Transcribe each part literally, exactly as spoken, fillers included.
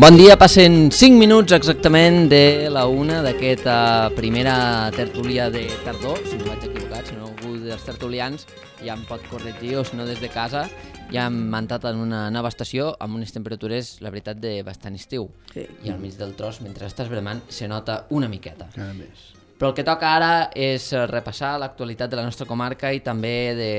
Bon dia, passen cinc minuts exactament de la una d'aquesta primera tertúlia de tardor, si no vaig equivocat, si no algú dels tertulians ja em pot corregir, o si no des de casa, ja hem entrat en una nova estació amb unes temperatures, la veritat, de bastant estiu. Sí. I al mig del tros, mentre estàs bramant, se nota una miqueta. Cada més. Però el que toca ara és repassar l'actualitat de la nostra comarca i també de,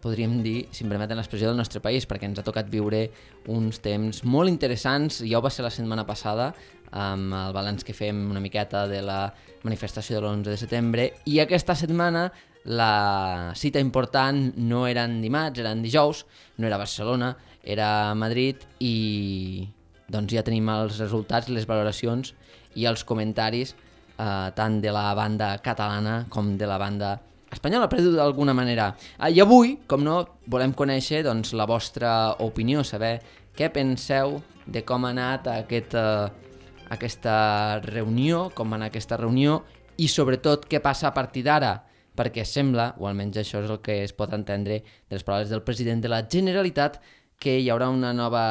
podríem dir, si em permeten l'expressió, del nostre país, perquè ens ha tocat viure uns temps molt interessants. Ja ho va ser la setmana passada, amb el balanç que fem una miqueta de la manifestació de l'onze de setembre, i aquesta setmana la cita important no era en dimarts, era en dijous, no era a Barcelona, era a Madrid, i doncs ja tenim els resultats, les valoracions i els comentaris eh, tant de la banda catalana com de la banda espanyola, per dir-ho d'alguna manera. Eh, I avui, com no, volem conèixer doncs, la vostra opinió, saber què penseu de com ha anat aquest, eh, aquesta reunió, com va anar aquesta reunió, i sobretot què passa a partir d'ara, perquè sembla, o almenys això és el que es pot entendre de les paraules del president de la Generalitat, que hi haurà una nova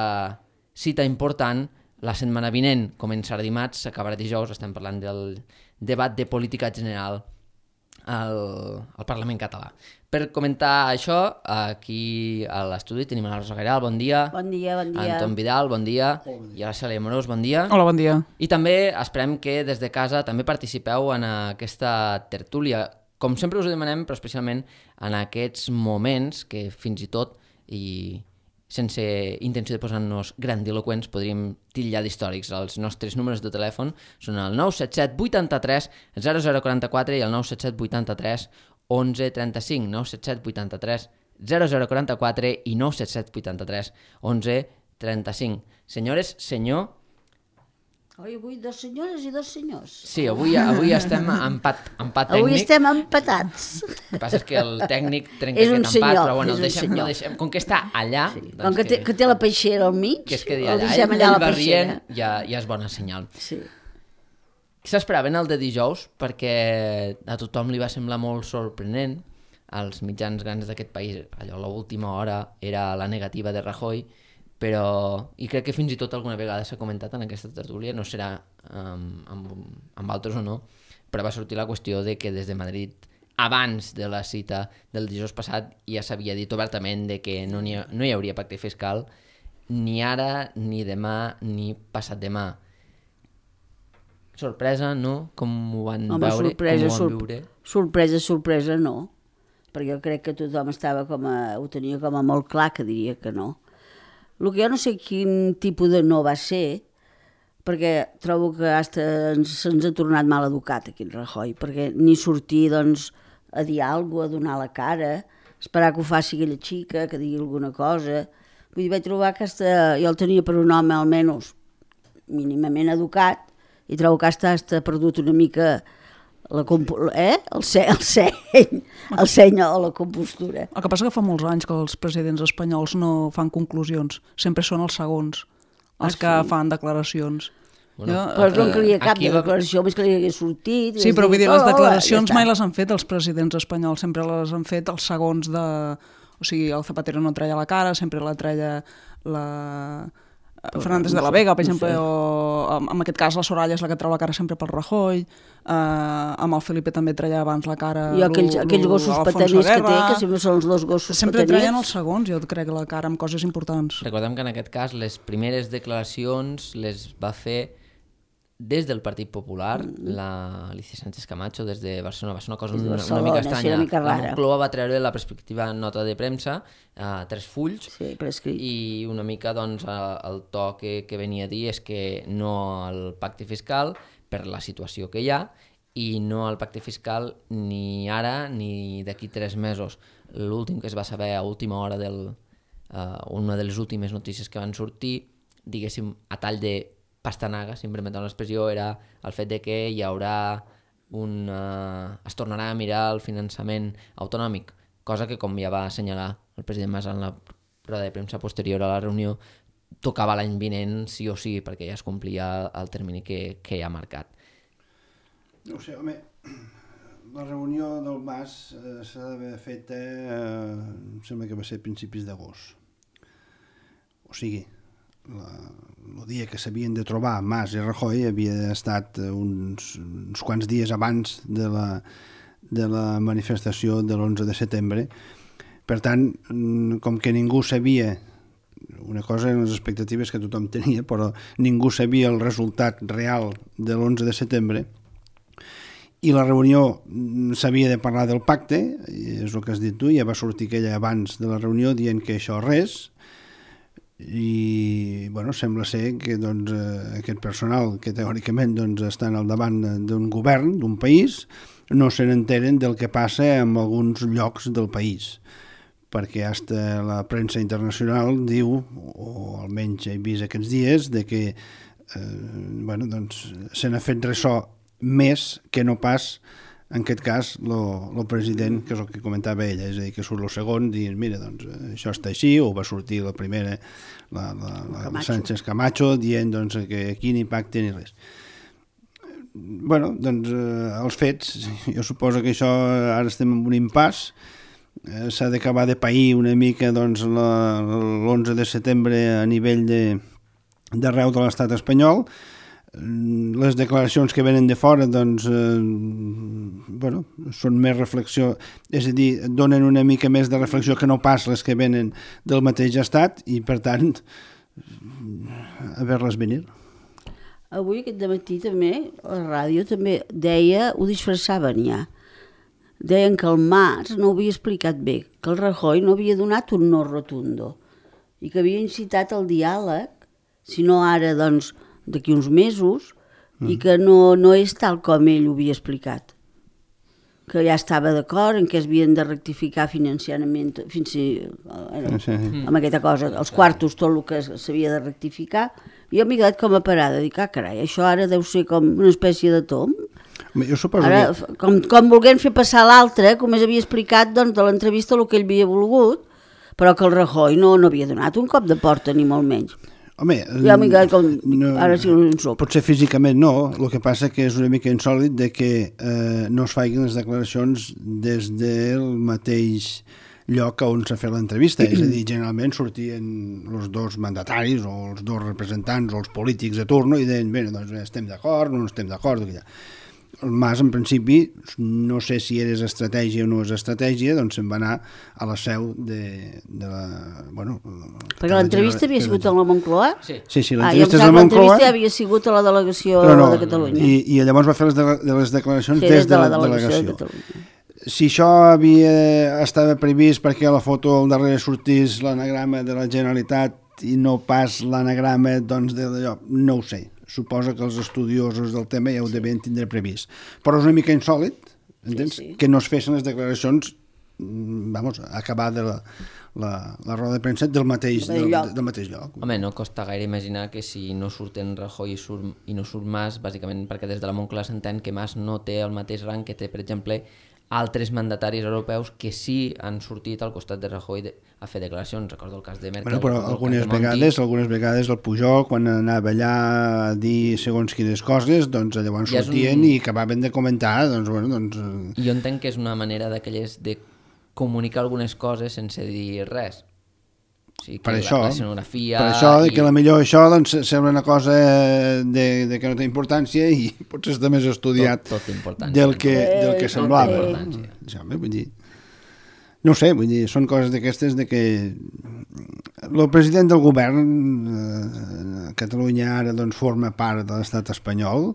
cita important la setmana vinent. Començarà dimarts, s'acabarà dijous, estem parlant del debat de política general al, al Parlament català. Per comentar això, aquí a l'estudi tenim a la Rosa Gairal, bon dia. Bon dia, bon dia. Anton Vidal, bon dia. Bon dia. I a la Cèlia Amorós, bon dia. Hola, bon dia. I també esperem que des de casa també participeu en aquesta tertúlia. Com sempre us ho demanem, però especialment en aquests moments que fins i tot, i sense intenció de posar-nos grandiloquents, podríem titllar d'històrics. Els nostres números de telèfon són el nou set set vuitanta-tres zero zero quaranta-quatre i el nou set set vuitanta-tres onze trenta-cinc, nou set set vuitanta-tres zero zero quaranta-quatre i nou set set vuitanta-tres onze trenta-cinc. Senyores, senyor... Oi, avui dos senyores i dos senyors. Sí, avui, avui estem empat, empat tècnic. Avui estem empatats. El que passa és que el tècnic trenca És un aquest empat, senyor, però bueno, el és un deixem, senyor. el deixem. Com que està allà... Sí. Doncs Com que té, que té la peixera al mig, que es quedi el allà, deixem ell, allà a ell la va peixera. rient, ja, ja és bona senyal. Sí. S'esperaven el de dijous perquè a tothom li va semblar molt sorprenent. Als mitjans grans d'aquest país, allò a l'última hora era la negativa de Rajoy, però, i crec que fins i tot alguna vegada s'ha comentat en aquesta tertúlia, no serà um, amb, amb altres o no, però va sortir la qüestió de que des de Madrid, abans de la cita del dijous passat, ja s'havia dit obertament de que no, hi, ha, no hi hauria pacte fiscal ni ara, ni demà, ni passat demà. Sorpresa, no? Com ho van Home, veure? sorpresa, com ho van sor viure? sorpresa, sorpresa no. Perquè jo crec que tothom estava com a, ho tenia com a molt clar que diria que no. El que jo no sé quin tipus de no va ser, perquè trobo que hasta se'ns ha tornat mal educat aquí en Rajoy, perquè ni sortir doncs, a dir alguna cosa, a donar la cara, esperar que ho faci aquella xica, que digui alguna cosa. Vull dir, vaig trobar que hasta, jo el tenia per un home almenys mínimament educat, i trobo que hasta, hasta perdut una mica la eh? el, se el seny, el seny o la compostura. El que passa que fa molts anys que els presidents espanyols no fan conclusions, sempre són els segons els Ah, que sí? fan declaracions. Bueno, jo, Però no en calia cap aquí de va- declaració, més que li hagués sortit. sí, però vull dir, les "Hola", declaracions ja mai està. les han fet els presidents espanyols, sempre les han fet els segons de... O sigui, el Zapatero no treia la cara, sempre la treia la... Fernández de la Vega, per no exemple, sé. o en aquest cas la Soraya és la que treu la cara sempre pel Rajoy, eh, amb el Felipe també treia abans la cara I aquells, lo- aquells lo- gossos Alfonso pataners que té, Guerra. que sempre són els dos gossos Sempre treien els pataners. segons, jo crec, la cara amb coses importants. Recordem que en aquest cas les primeres declaracions les va fer des del Partit Popular, mm. la Alicia Sánchez Camacho, des de Barcelona. Va ser una cosa Des de una, Barcelona, una mica sí, estranya. una mica La rara. Moncloa va treure la perspectiva nota de premsa, a tres fulls, Sí, per escrit. i una mica doncs, a- el to que, que venia a dir és que no al pacte fiscal per la situació que hi ha, i no al pacte fiscal ni ara ni d'aquí tres mesos. L'últim que es va saber a última hora, del, uh, una de les últimes notícies que van sortir, diguéssim, a tall de pastanaga, si em permeten l'expressió, era el fet de que hi haurà un... Uh, es tornarà a mirar el finançament autonòmic, cosa que, com ja va assenyalar el president Mas en la roda de premsa posterior a la reunió, tocava l'any vinent sí o sí, perquè ja es complia el termini que, que ja ha marcat. No ho sé, home, la reunió del Mas eh, s'ha d'haver feta, eh, em sembla que va ser a principis d'agost. O sigui, la, el dia que s'havien de trobar Mas i Rajoy havia estat uns, uns quants dies abans de la, de la manifestació de l'onze de setembre. Per tant, com que ningú sabia, una cosa eren les expectatives que tothom tenia, però ningú sabia el resultat real de l'onze de setembre, i la reunió s'havia de parlar del pacte, és el que has dit tu, ja va sortir aquella abans de la reunió dient que això res, i bueno, sembla ser que doncs, aquest personal que teòricament doncs, estan al davant d'un govern, d'un país, no se n'enteren del que passa en alguns llocs del país, perquè hasta la premsa internacional diu, o almenys he vist aquests dies, de que eh, bueno, doncs, se n'ha fet ressò més que no pas, en aquest cas, el president, que és el que comentava ella, és a dir, que surt el segon dient, mira, doncs, això està així, o va sortir la primera, la, la, la, la Sánchez Camacho, dient doncs, que aquí ni pacte ni res. Bueno, doncs, eh, els fets, jo suposo que això ara estem en un impàs, eh, s'ha d'acabar de pair una mica doncs, l'onze de setembre a nivell d'arreu de, de l'estat espanyol. Les declaracions que venen de fora doncs, eh, bueno, són més reflexió, és a dir, donen una mica més de reflexió que no pas les que venen del mateix estat i per tant a veure-les venir. Avui aquest dematí també la ràdio també deia, ho disfressaven ja, deien que el Mas no ho havia explicat bé, que el Rajoy no havia donat un no rotundo i que havia incitat al diàleg, si no ara doncs d'aquí uns mesos, mm. i que no, no és tal com ell ho havia explicat. Que ja estava d'acord en què es havien de rectificar financiament, fins si, eh, sí. amb aquesta cosa, els quartos, tot el que s'havia de rectificar. I jo m'he quedat com a parada, dic, ah, carai, això ara deu ser com una espècie de tomb. Jo suposo ara, que... com, com volguem fer passar l'altre, com es havia explicat doncs, de l'entrevista el que ell havia volgut, però que el Rajoy no, no havia donat un cop de porta, ni molt menys. Home, ja m'he quedat com... no, ara sí un sop. Potser físicament no, el que passa que és una mica insòlid de que eh, no es facin les declaracions des del mateix lloc on s'ha fet l'entrevista, és a dir, generalment sortien els dos mandataris o els dos representants o els polítics de turno i deien, bé, doncs estem d'acord, no estem d'acord, el Mas, en principi, no sé si és estratègia o no és estratègia, doncs se'n va anar a la seu de, de la... Bueno, perquè l'entrevista havia sigut a la Moncloa? Sí, sí, sí l'entrevista ah, és a la Moncloa. L'entrevista havia sigut a la delegació no, de Catalunya. I, I llavors va fer les, de, de les declaracions sí, des, des de la, de la delegació. delegació. De Catalunya. Si això havia, estava previst perquè a la foto al darrere sortís l'anagrama de la Generalitat i no pas l'anagrama doncs, de d'allò, no ho sé. Suposo que els estudiosos del tema ja ho devien tindre previst. Però és una mica insòlid, entens? Sí, sí. Que no es fessin les declaracions, vamos, a acabar de la, la, la roda de premsa del mateix, del, del mateix lloc. Home, no costa gaire imaginar que si no surten Rajoy i, surt, i no surt Mas, bàsicament perquè des de la Moncloa s'entén que Mas no té el mateix rang que té, per exemple, altres mandataris europeus que sí han sortit al costat de Rajoy de, a fer declaracions. Recordo el cas de Merkel. Bueno, però algunes vegades, algunes vegades el Pujol, quan anava allà a dir segons quines coses, doncs llavors ja sortien un... i acabaven de comentar. Doncs, bueno, doncs... Jo entenc que és una manera d'aquelles de comunicar algunes coses sense dir res. O sigui, per això, la escenografia... Per això, i... que la millor això doncs, sembla una cosa de, de que no té importància i potser està més estudiat tot, tot del que, del que semblava. Ja, vull dir, no ho sé, vull dir, són coses d'aquestes de que el president del govern eh, Catalunya ara doncs, forma part de l'estat espanyol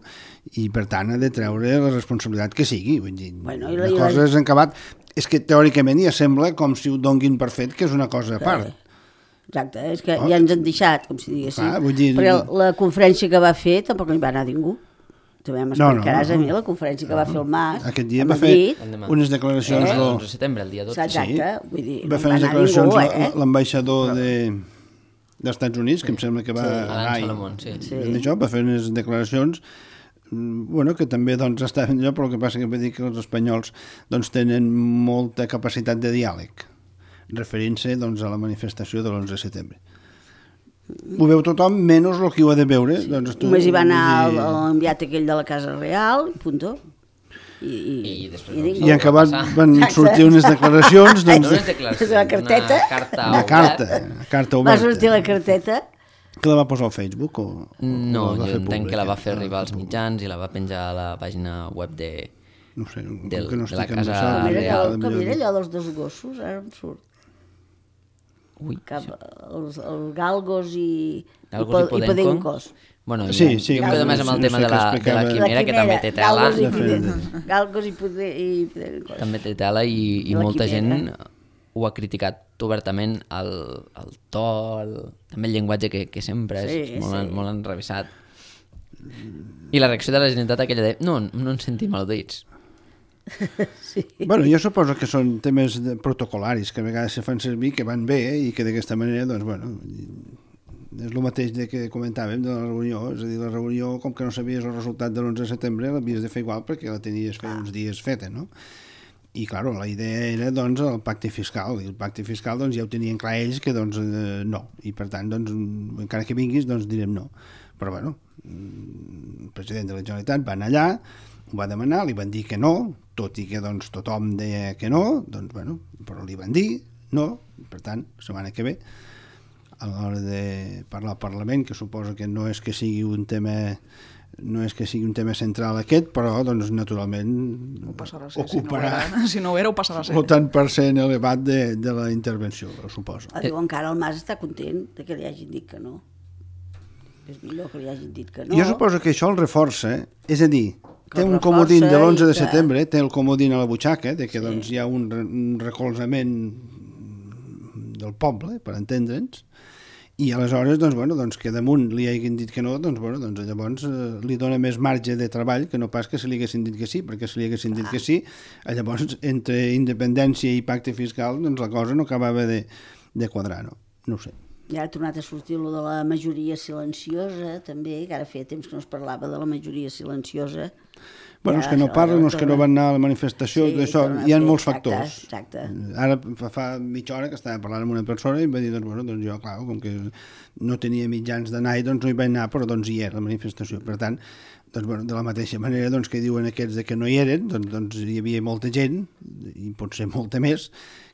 i per tant ha de treure la responsabilitat que sigui. Vull dir, bueno, la cosa és encabat. És que teòricament ja sembla com si ho donguin per fet que és una cosa a part. Exacte, és que oh. ja ens han deixat, com si diguéssim. Ah, dir... Perquè la conferència que va fer tampoc no hi va anar ningú. També m'explicaràs no, no, no. a mi la conferència que va fer el Mas. Aquest dia va fer unes declaracions... Eh? El onze de setembre, el dia dotze. Exacte, vull dir, va fer unes declaracions eh? l'ambaixador de, dels Estats Units, que em sembla que va sí. anar i, Salomón, sí. sí. Això, va fer unes declaracions bueno, que també doncs, estaven allò, però el que passa que vull dir que els espanyols doncs, tenen molta capacitat de diàleg, referint-se doncs, a la manifestació de l'onze de setembre. Ho veu tothom, menys el que ho ha de veure. Sí. Doncs tu, només hi va anar i... l'enviat aquell de la Casa Real, punto. I, i, i, i, i, i en acabat van sortir unes declaracions doncs, unes declaracions, la carteta, una carta una carta, carta oberta. Va sortir la carteta Que la va posar al Facebook? O, o No, o la va jo fer entenc que la va pública? fer Ah, arribar als pública. mitjans i la va penjar a la pàgina web de... No sé, com del- que no de la estic en casa això, Com era, real. allò, com era allò dels dos gossos, ara em surt. Ui, Cap, els, els galgos i, Galgos i po- i Podencos. podencos. Bueno, Sí, jo, sí, jo em quedo no més amb el sé- tema no sé de, la, què de la explicava. quimera, que també té tela, galgos i, De fet, poder, galgos i, poder, i podencos. també té tela i, i La molta gent quimera. ho ha criticat obertament el, el to, el, també el llenguatge que, que sempre és Sí, molt, sí. molt enrevessat. I la reacció de la Generalitat aquella de no, no ens sentim al·ludits. Sí. Bueno, jo suposo que són temes de protocolaris que a vegades se fan servir, que van bé eh, i que d'aquesta manera, doncs, bueno, és el mateix de que comentàvem de la reunió, és a dir, la reunió, com que no sabies el resultat de l'onze de setembre, l'havies de fer igual perquè la tenies feia uns dies feta, no? I, clar, la idea era, doncs, el pacte fiscal, i el pacte fiscal, doncs, ja ho tenien clar ells que, doncs, eh, no, i per tant, doncs, encara que vinguis, doncs, direm no. Però, bueno, el president de la Generalitat va anar allà, ho va demanar, li van dir que no, tot i que doncs, tothom deia que no, doncs, bueno, però li van dir no, per tant, la setmana que ve, a l'hora de parlar al Parlament, que suposo que no és que sigui un tema no és que sigui un tema central aquest, però doncs naturalment Ho passarà a ser, ocuparà si no, ho era, si no ho era, ho passarà a ser. el tant per cent elevat de, de la intervenció, suposo. Ah, diu, encara el Mas està content de que li hagin dit que no. És millor que li hagin dit que no. Jo suposo que això el reforça, és a dir, Que té el un comodín de reforça l'onze de i que- setembre, té el comodín a la butxaca, de que Sí. doncs, hi ha un, re- un recolzament del poble, per entendre'ns, i aleshores, doncs, bueno, doncs, que damunt li hagin dit que no, doncs, bueno, doncs llavors eh, li dona més marge de treball que no pas que se li haguessin dit que sí, perquè si li haguessin dit que sí, eh, llavors entre independència i pacte fiscal, doncs la cosa no acabava de, de quadrar, no? No ho sé. I ara ha tornat a sortir lo de la majoria silenciosa, també, que ara feia temps que no es parlava de la majoria silenciosa. Bueno, Ja, els que no això, parlen, els que no torna- van anar a la manifestació, Sí, d'això, torna a hi ha fer, molts exacte, factors. exacte. Ara fa, fa mitja hora que estava parlant amb una persona i em va dir, doncs, bueno, doncs jo, clar, com que no tenia mitjans d'anar i doncs no hi vaig anar, però doncs hi era la manifestació. Per tant, doncs, bueno, de la mateixa manera doncs, que diuen aquests de que no hi eren, doncs, doncs hi havia molta gent, i potser molta més,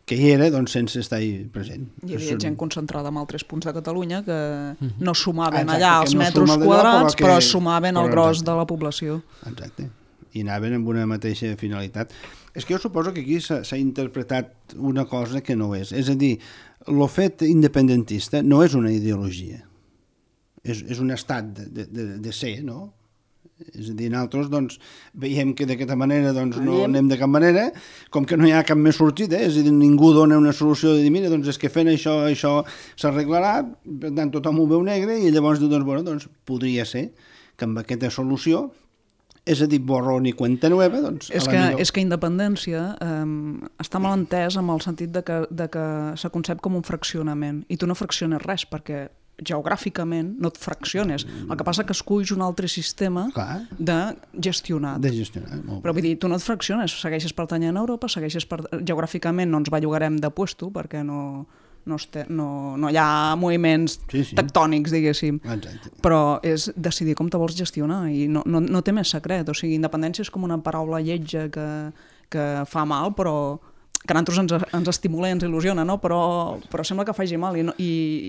que hi era doncs, sense estar-hi present. Hi havia Són- gent concentrada en altres punts de Catalunya que no sumaven Exacte, allà que els no metres sumen allò, quadrats, però que- però sumaven el però gros exacte. de la població. Exacte. I anaven amb una mateixa finalitat. És que jo suposo que aquí s'ha s'ha interpretat una cosa que no és. És a dir, el fet independentista no és una ideologia. És, és un estat de, de, de ser, no? És a dir, nosaltres doncs, veiem que d'aquesta manera doncs, no Anem. anem de cap manera, com que no hi ha cap més sortida, és a dir, ningú dona una solució de dir, mira, doncs és que fent això, això s'arreglarà, per tant tothom ho veu negre, i llavors diu, doncs, bueno, doncs podria ser que amb aquesta solució, és a dir, borrón i cuenta nueva, doncs És a la que, millor... és que independència eh, està mal entès amb el sentit de que, de que se concep com un fraccionament, i tu no fracciones res, perquè geogràficament no et fracciones. El que passa que esculls un altre sistema Clar. de gestionat. de gestionar. Molt Però bé. vull dir, tu no et fracciones, segueixes pertanyent a Europa, segueixes per... geogràficament no ens bellugarem de puesto perquè no, no, este, no, no hi ha moviments Sí, sí. tectònics, diguéssim. Exacte. Però és decidir com te vols gestionar i no, no, no té més secret. O sigui, independència és com una paraula lletja que, que fa mal, però que a nosaltres ens, ens estimula i ens il·lusiona, no? però, però sembla que faci mal i, no, i,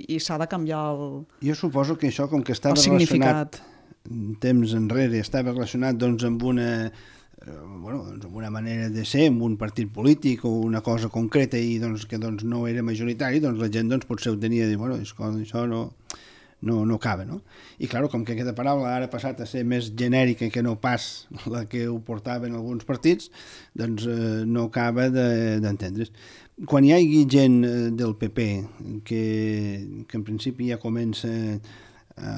i s'ha de canviar el, Jo suposo que això, com que estava el significat. relacionat temps enrere, estava relacionat doncs, amb una eh, bueno, doncs, amb una manera de ser, amb un partit polític o una cosa concreta i doncs, que doncs, no era majoritari, doncs la gent doncs, potser ho tenia de dir, bueno, això, això no, no, no acaba, no? I clar, com que aquesta paraula ara ha passat a ser més genèrica que no pas la que ho portaven alguns partits, doncs eh, no acaba de- d'entendre's. Quan hi hagi gent eh, del P P que, que en principi ja comença a,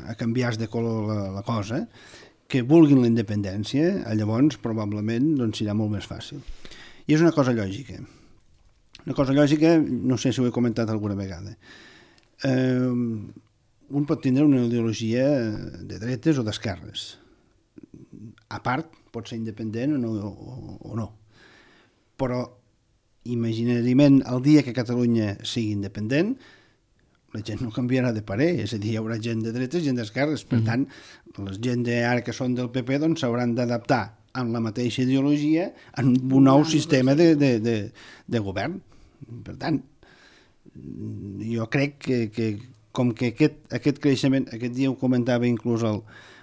a canviar de color la, la cosa, que vulguin la independència, llavors probablement doncs, serà molt més fàcil. I és una cosa lògica. Una cosa lògica, no sé si ho he comentat alguna vegada. Eh, un pot tindre una ideologia de dretes o d'esquerres. A part, pot ser independent o no, o, o no. Però imaginàriament el dia que Catalunya sigui independent la gent no canviarà de parer, és a dir, hi haurà gent de dretes i gent d'esquerres, per tant la gent de ara que són del P P doncs s'hauran d'adaptar amb la mateixa ideologia en un nou sistema de, de, de, de govern. Per tant, jo crec que, que, com que aquest, aquest creixement, aquest dia ho comentava inclús el,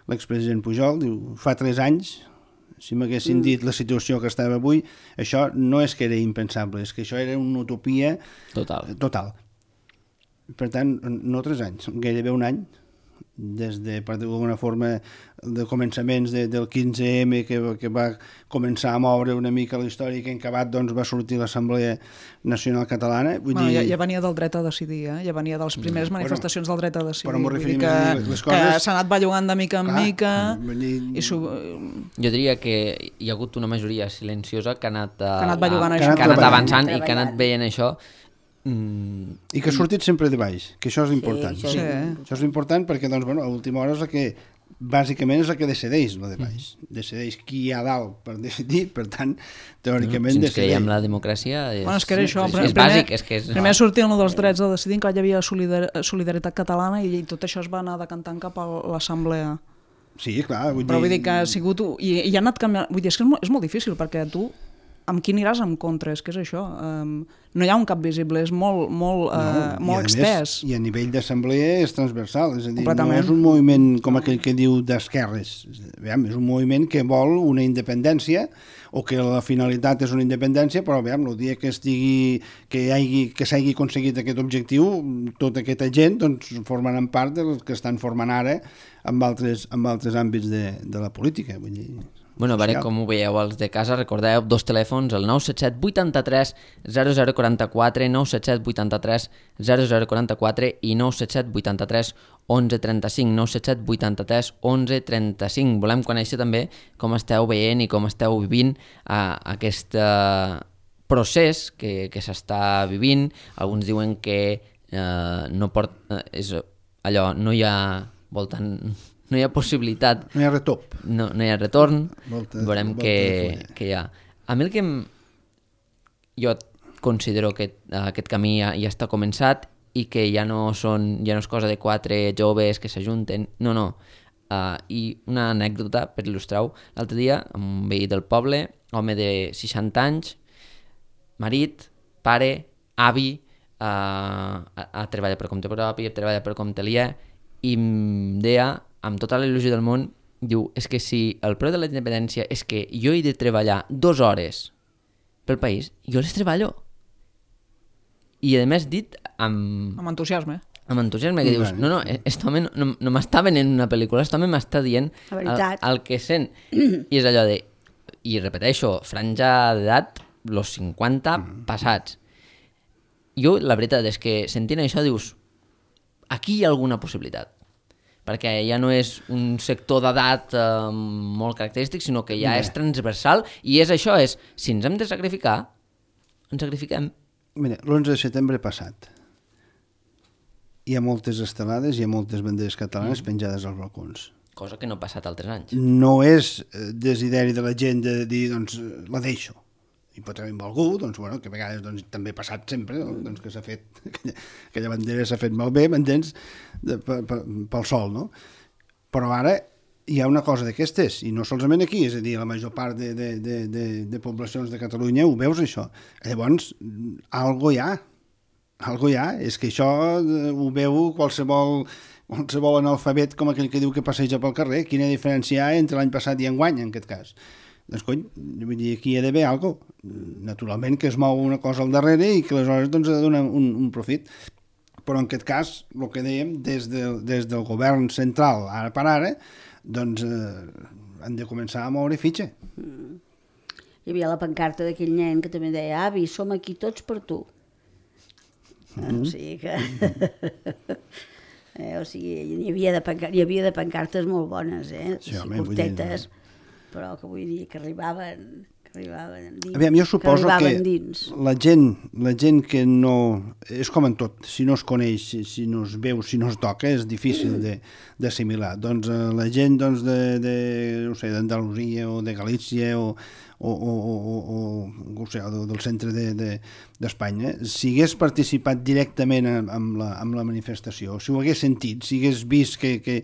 l'expresident Pujol, diu, fa tres anys, si m'haguessin dit la situació que estava avui, això no és que era impensable, és que això era una utopia Total. total. Per tant, no tres anys, gairebé un any, des de, per dir-ho d'alguna forma, de començaments de, del quinze eme que, que va començar a moure una mica la història, que en acabat doncs, va sortir l'Assemblea Nacional Catalana. Vull bueno, dir... ja, ja venia del dret a decidir, eh? Ja venia de les primeres bueno, manifestacions del dret a decidir. però m'ho Vull dir referim que, a dir les coses... que s'ha anat bellugant de mica en Clar, mica dir... i su... Jo diria que hi ha hagut una majoria silenciosa que ha anat, uh, que ha anat bellugant a, això. que ha anat avançant Treballant. i que ha anat veient això. Mm. I que ha sortit sempre de baix, que això és important. això és Sí. important. Això és important perquè, doncs, bueno, a última hora és el que, bàsicament, és el que decideix, lo de baix. Decideix qui hi ha dalt per decidir, per tant, teòricament, Si ens decideix. creiem la democràcia... És, Bueno, és que era això. és, primer, és bàsic. És que és... primer sortien els drets a decidir, que hi havia solidar solidaritat catalana i tot això es va anar decantant cap a l'assemblea. Sí, clar. Vull Però dir... vull dir que ha sigut... I, i ha anat canviant... Vull dir, és que és molt, és molt difícil, perquè tu amb qui aniràs en contra? És que és això. Um, no hi ha un cap visible, és molt, molt, uh, No, molt i a extès. Més, I a nivell d'assemblea és transversal, és a dir, no Completament. és un moviment com aquell que diu d'esquerres, veiem, és un moviment que vol una independència o que la finalitat és una independència, però veiem, el dia que estigui que hi hagi, que s'hagi aconseguit aquest objectiu, tota aquesta gent doncs, formaran part dels que estan formant ara amb altres, amb altres àmbits de, de la política, vull dir... Bueno, a veure com ho veieu els de casa, recordeu dos telèfons, el nou set set vuitanta-tres zero zero quaranta-quatre, nou set set vuitanta-tres zero zero quaranta-quatre i nou set set vuitanta-tres onze trenta-cinc, nou set set vuitanta-tres onze trenta-cinc. Volem conèixer també com esteu veient i com esteu vivint uh, aquest uh, procés que, que s'està vivint. Alguns diuen que uh, no port, uh, és allò, no hi ha voltant... No hi ha possibilitat, No hi ha retop. no, no hi ha retorn, Volta- veurem volta què, de fulla. què hi ha. A mi el que em... jo considero que aquest camí ja, ja està començat i que ja no, són, ja no és cosa de quatre joves que s'ajunten, no, no. Uh, I una anècdota per il·lustrar-ho, l'altre dia, un veí del poble, home de seixanta anys, marit, pare, avi, uh, ha, ha treballat per compte propi, ha treballat per compte aliè, i em deia, amb tota la il·lusió del món, diu, és que si el preu de la independència és que jo he de treballar dues hores pel país, jo les treballo. I a més dit amb, Amb entusiasme. amb entusiasme, que I dius, tant. no, no, aquest home no, no, no m'està venent una pel·lícula, aquest home m'està dient La el, veritat. el que sent. I és allò de, i repeteixo, franja d'edat, los cinquanta passats. Jo, la veritat és que sentint això dius, aquí hi ha alguna possibilitat, perquè ja no és un sector d'edat eh, molt característic, sinó que ja Mira. és transversal, i és això, és, si ens hem de sacrificar, ens sacrifiquem. Mira, l'onze de setembre passat hi ha moltes estelades, hi ha moltes banderes catalanes mm. penjades als balcons. Cosa que no ha passat altres anys. No és eh, desideri de la gent de dir, doncs, eh, la deixo. I pot haver algú, doncs, bueno, que a vegades doncs, també ha passat sempre, doncs, que s'ha fet, aquella, aquella bandera s'ha fet malbé, m'entens, de, pe, pe, pel sol, no? Però ara hi ha una cosa d'aquestes, i no solament aquí, és a dir, la major part de, de, de, de, de poblacions de Catalunya ho veus, això. Llavors, algo hi ha, algo hi ha, és que això eh, ho veu qualsevol, qualsevol analfabet com aquell que diu que passeja pel carrer. Quina diferència hi ha entre l'any passat i enguany, en aquest cas? Doncs, cony, vull dir, aquí hi ha d'haver alguna cosa. Naturalment que es mou una cosa al darrere i que aleshores doncs, ha de donar un, un profit. Però en aquest cas, el que dèiem, des, de, des del govern central, ara per ara, doncs eh, han de començar a moure fitxa. Mm. Hi havia la pancarta d'aquell nen que també deia, avi, som aquí tots per tu. Mm-hmm. O sigui que... eh, o sigui, hi havia, de pancar... hi havia de pancartes molt bones, eh? Sí, sí, home, vull dir, curtetes, però que vull dir que arribaven... que arribaven dins. Aviam, jo suposo que, que dins. la gent, la gent que no... És com en tot, si no es coneix, si, si no es veu, si no es toca, és difícil de- d'assimilar. Doncs eh, la gent doncs, de, de, no sé, d'Andalusia o de Galícia o, o, o, o, o, o, o sé, del centre d'Espanya, de, si hagués participat directament amb, amb, la, amb la manifestació, si ho hagués sentit, si hagués vist que, que,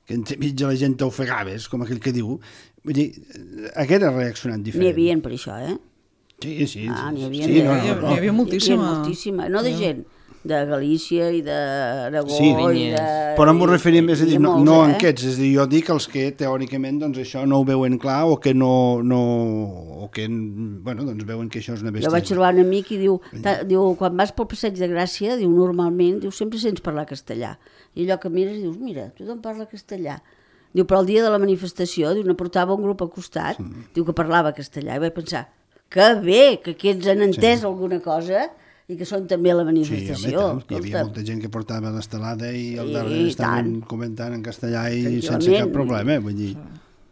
que entremig de la gent t'ofegaves, com aquell que diu, vull dir, haguera reaccionat diferent. N'hi havia per això, eh? Sí, sí. Ah, n'hi havia, sí, no, no, N'hi no. havia moltíssima. N'hi havia moltíssima, no de gent, de Galícia i d'Aragó Sí, i de... però m'ho referim, és a dir, i de no, molts, no eh? en aquests, és a dir, jo dic els que teòricament doncs això no ho veuen clar o que no, no o que, bueno, doncs veuen que això és una Jo vaig bestiesa. trobar un amic i diu, ta, diu, quan vas pel Passeig de Gràcia, diu, normalment, diu, sempre sents parlar castellà. I allò que mires dius, mira, tothom parla castellà. Diu, però el dia de la manifestació, diu, ne portava un grup al costat, sí. Diu que parlava castellà. I vaig pensar, que bé, que aquests han entès sí. alguna cosa i que són també a la manifestació. Sí, home, hi havia molta gent que portava l'estelada i Sí, al darrere estaven tant. comentant en castellà i Tranquil·lament. sense cap problema, vull dir.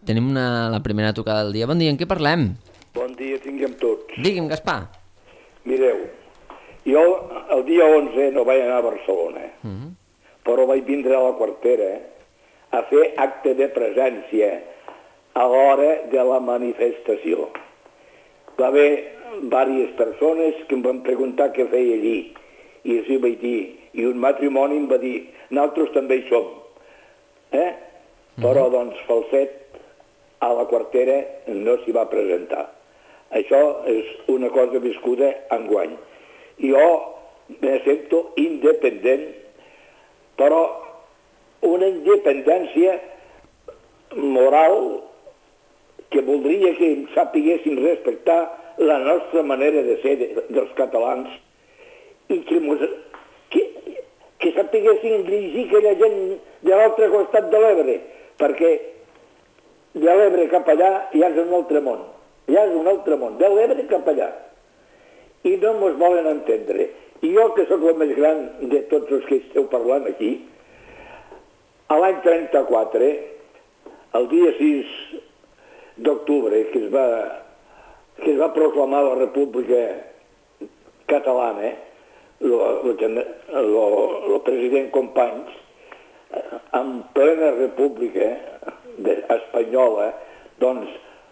Tenim una, la primera tocada del dia. Bon dia, en què parlem? Bon dia tinguem tots. Digui'm, Gaspar. Mireu, jo el dia onze no vaig anar a Barcelona, uh -huh. però vaig vindre a la Quartera a fer acte de presència a l'hora de la manifestació. Va haver diverses persones que em van preguntar què feia allí, i els hi vaig dir, i un matrimoni em va dir, nosaltres també hi som. Eh? Però, doncs, Falset a la Quartera no s'hi va presentar. Això és una cosa viscuda enguany. Jo me sento independent, però una independència moral que voldria que em sapiguessin respectar la nostra manera de ser de, dels catalans i que, mos, que, que sapiguessin dirigir aquella gent de l'altre costat de l'Ebre, perquè de l'Ebre cap allà ja és un altre món, ja és un altre món, de l'Ebre cap allà. I no mos volen entendre. I jo, que sóc el més gran de tots els que esteu parlant aquí, a l'any trenta-quatre, el dia sis d'octubre, que es va que es va proclamar la República Catalana, el president Companys, en plena república espanyola, doncs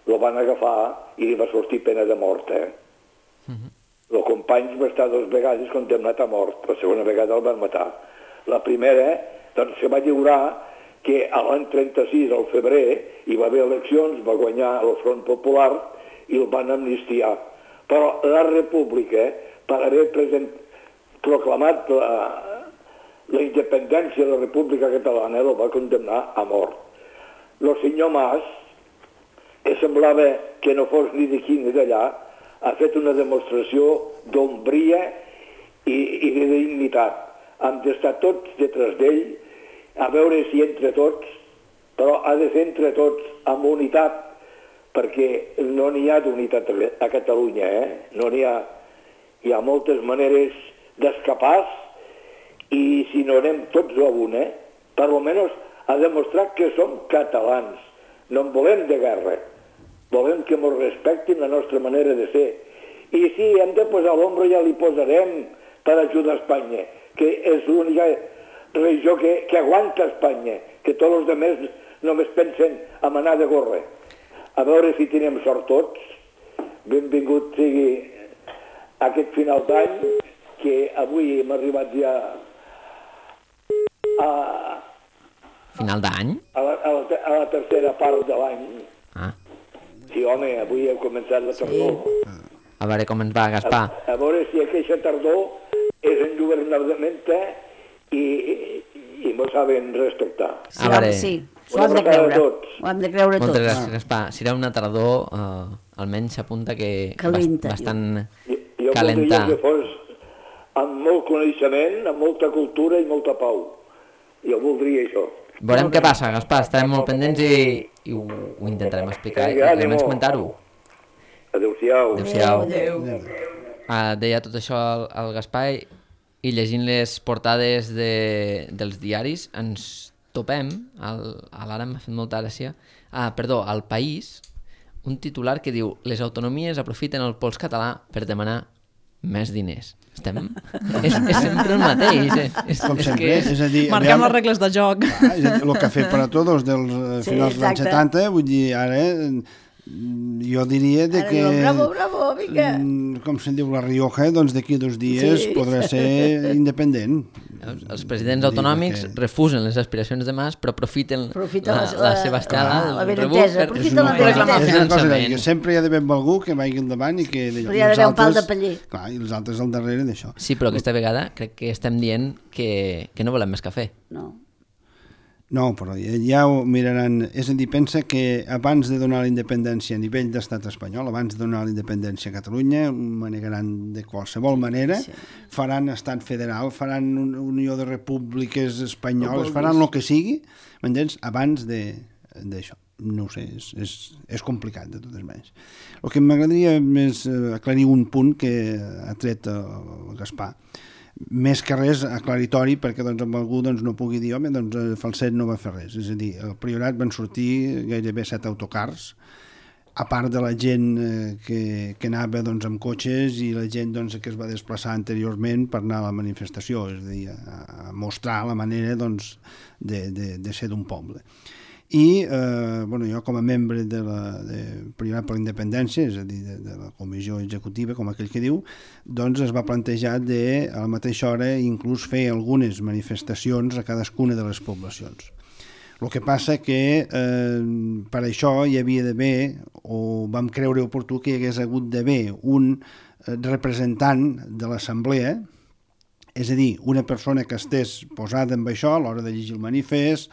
lo van agafar i li va sortir pena de mort. Eh? El Companys va estar dues vegades condemnat a mort, la segona vegada el van matar. La primera, doncs, se va lliurar que a l'any trenta-sis, al febrer, hi va haver eleccions, va guanyar el Front Popular i el van amnistiar. Però la República, per haver present, proclamat la, la independència de la República Catalana, el va condemnar a mort. El senyor Mas, que semblava que no fos ni d'aquí ni d'allà, ha fet una demostració d'ombria i, i de dignitat. Hem d'estar tots detrás d'ell, a veure si entre tots, però ha de ser entre tots amb unitat, perquè no n'hi ha d'unitat a Catalunya, eh? No n'hi ha. Hi ha moltes maneres d'escapar i si no anem tots a una, per almenys a demostrar que som catalans. No en volem de guerra. Volem que ens respectin la nostra manera de ser. I si hem de posar l'ombro ja li posarem per ajudar Espanya, que és l'única regió que, que aguanta Espanya, que tots els altres només pensen en anar de gorra. A veure si tenim sort tots. Benvingut sigui aquest final d'any, que avui hem arribat ja a... Final d'any? A la, a, la, a la tercera part de l'any. Ah. Sí, home, avui hem començat la tardor. Sí. A veure com ens va, Gaspar. A, a veure si aquesta tardor és engovernamenta i, i, i m'ho saben respectar. Sí, A veure. sí, ho hem de creure. Ho hem de creure Moltes tots. gràcies, Gaspar. Serà una tardor, eh, almenys s'apunta que Calenta, bast bastant Jo, jo calenta. voldria que fos amb molt coneixement, amb molta cultura i molta pau. Jo voldria això. Veurem què passa, Gaspar. Estarem molt pendents i, i ho, ho intentarem explicar i Vinga, almenys ànimo. comentar-ho. Adéu-siau. Adéu-siau. Adéu. Uh, deia tot això el, el Gaspar i, i llegint les portades de, dels diaris ens topem, el, a l'ara m'ha fet molta gràcia, ah, perdó, al País, un titular que diu les autonomies aprofiten el pols català per demanar més diners. Estem... és, és sempre el mateix. Eh? És, Com és sempre, que és... és a dir... Marquem aviam- les regles de joc. Ah, és a dir, el café per a tots dels eh, Sí, finals dels anys exacte. setanta, vull dir, ara eh, jo diria de Ara que... diuen, bravo, bravo, vinga. Com se'n diu la Rioja, doncs d'aquí dos dies Sí. podrà ser independent. Els, els presidents autonòmics que- refusen les aspiracions de Mas, però aprofiten Aprofiten la, la- la, la- seva estada, la el benentesa, rebut, per aprofiten la reclamar benentesa. És una cosa finançament. que sempre hi ha d'haver algú que vagi endavant i que... Però hi ha d'haver un pal de paller. Clar, i els altres al darrere d'això. Sí, però aquesta vegada crec que estem dient que, que no volem més cafè. No. No, però ja, ja ho miraran. És a dir, pensa que abans de donar la independència a nivell d'estat espanyol, abans de donar la independència a Catalunya, manegaran de qualsevol manera, Sí. faran estat federal, faran un, unió de repúbliques espanyoles, faran el que sigui, m'entens? Abans de- d'això. No ho sé, és, és, és complicat de totes maneres. El que m'agradaria més eh, aclarir un punt que ha tret el Gaspar, més que res aclaritori perquè doncs, amb algú doncs, no pugui dir home, doncs el Falset no va fer res, és a dir, al Priorat van sortir gairebé set autocars, a part de la gent eh, que, que anava doncs, amb cotxes i la gent doncs, que es va desplaçar anteriorment per anar a la manifestació, és a dir, a, a mostrar la manera doncs, de, de, de ser d'un poble. I eh, bueno, jo com a membre de la de Priorat per la Independència, és a dir, de, de la comissió executiva, com aquell que diu, doncs es va plantejar de, a la mateixa hora inclús fer algunes manifestacions a cadascuna de les poblacions. El que passa que eh, per això hi havia d'haver, o vam creure oportú que hi hagués hagut d'haver un representant de l'assemblea, és a dir, una persona que estés posada amb això a l'hora de llegir el manifest,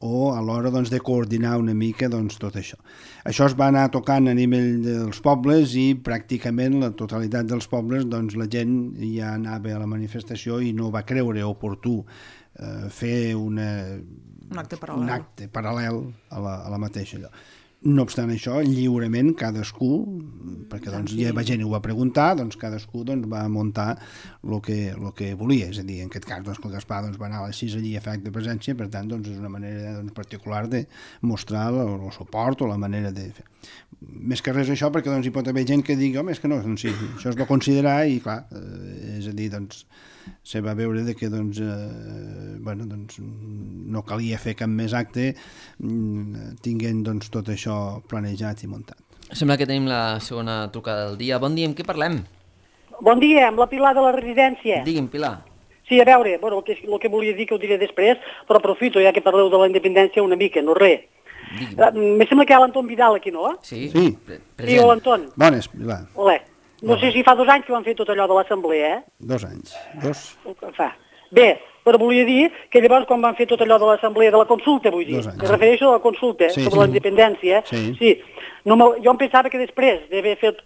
o a l'hora doncs, de coordinar una mica doncs, tot això. Això es va anar tocant a nivell dels pobles i pràcticament la totalitat dels pobles doncs, la gent ja anava a la manifestació i no va creure oportú eh, fer una, Un acte paral·lel. un acte paral·lel a la, a la mateixa allò. No obstant això, lliurement cadascú, perquè doncs, ja la gent ho va preguntar, doncs cadascú doncs, va muntar el que, el que volia. És a dir, en aquest cas doncs, el Gaspar doncs, va anar a les sis allí a fer acte de presència, per tant doncs, és una manera doncs, particular de mostrar el, el suport o la manera de fer. Més que res això, perquè doncs, hi pot haver gent que digui home, és que no, doncs, sí, això es va considerar i clar, eh, és a dir, doncs, se va veure de que doncs, eh, bueno, doncs, no calia fer cap més acte tinguent doncs, tot això planejat i muntat. Sembla que tenim la segona trucada del dia. Bon dia, amb qui parlem? Bon dia, amb la Pilar de la residència. Digui'm, Pilar. Sí, a veure, bueno, el, que, el que volia dir que ho diré després, però aprofito ja que parleu de la independència una mica, no res. Digui'm. Uh, me sembla que hi ha l'Anton Vidal aquí, no? Sí, Sí. pre- Sí, present. o l'Anton. Bones, Pilar. Olé. No sé si fa dos anys que van fer tot allò de l'assemblea, eh? Dos anys. Dos. O que fa. Bé, però volia dir que llavors quan van fer tot allò de l'assemblea, de la consulta, vull dir, Dos anys. me refereixo a la consulta Sí, sobre sí. la independència, Sí. sí. No me, jo em pensava que després d'haver fet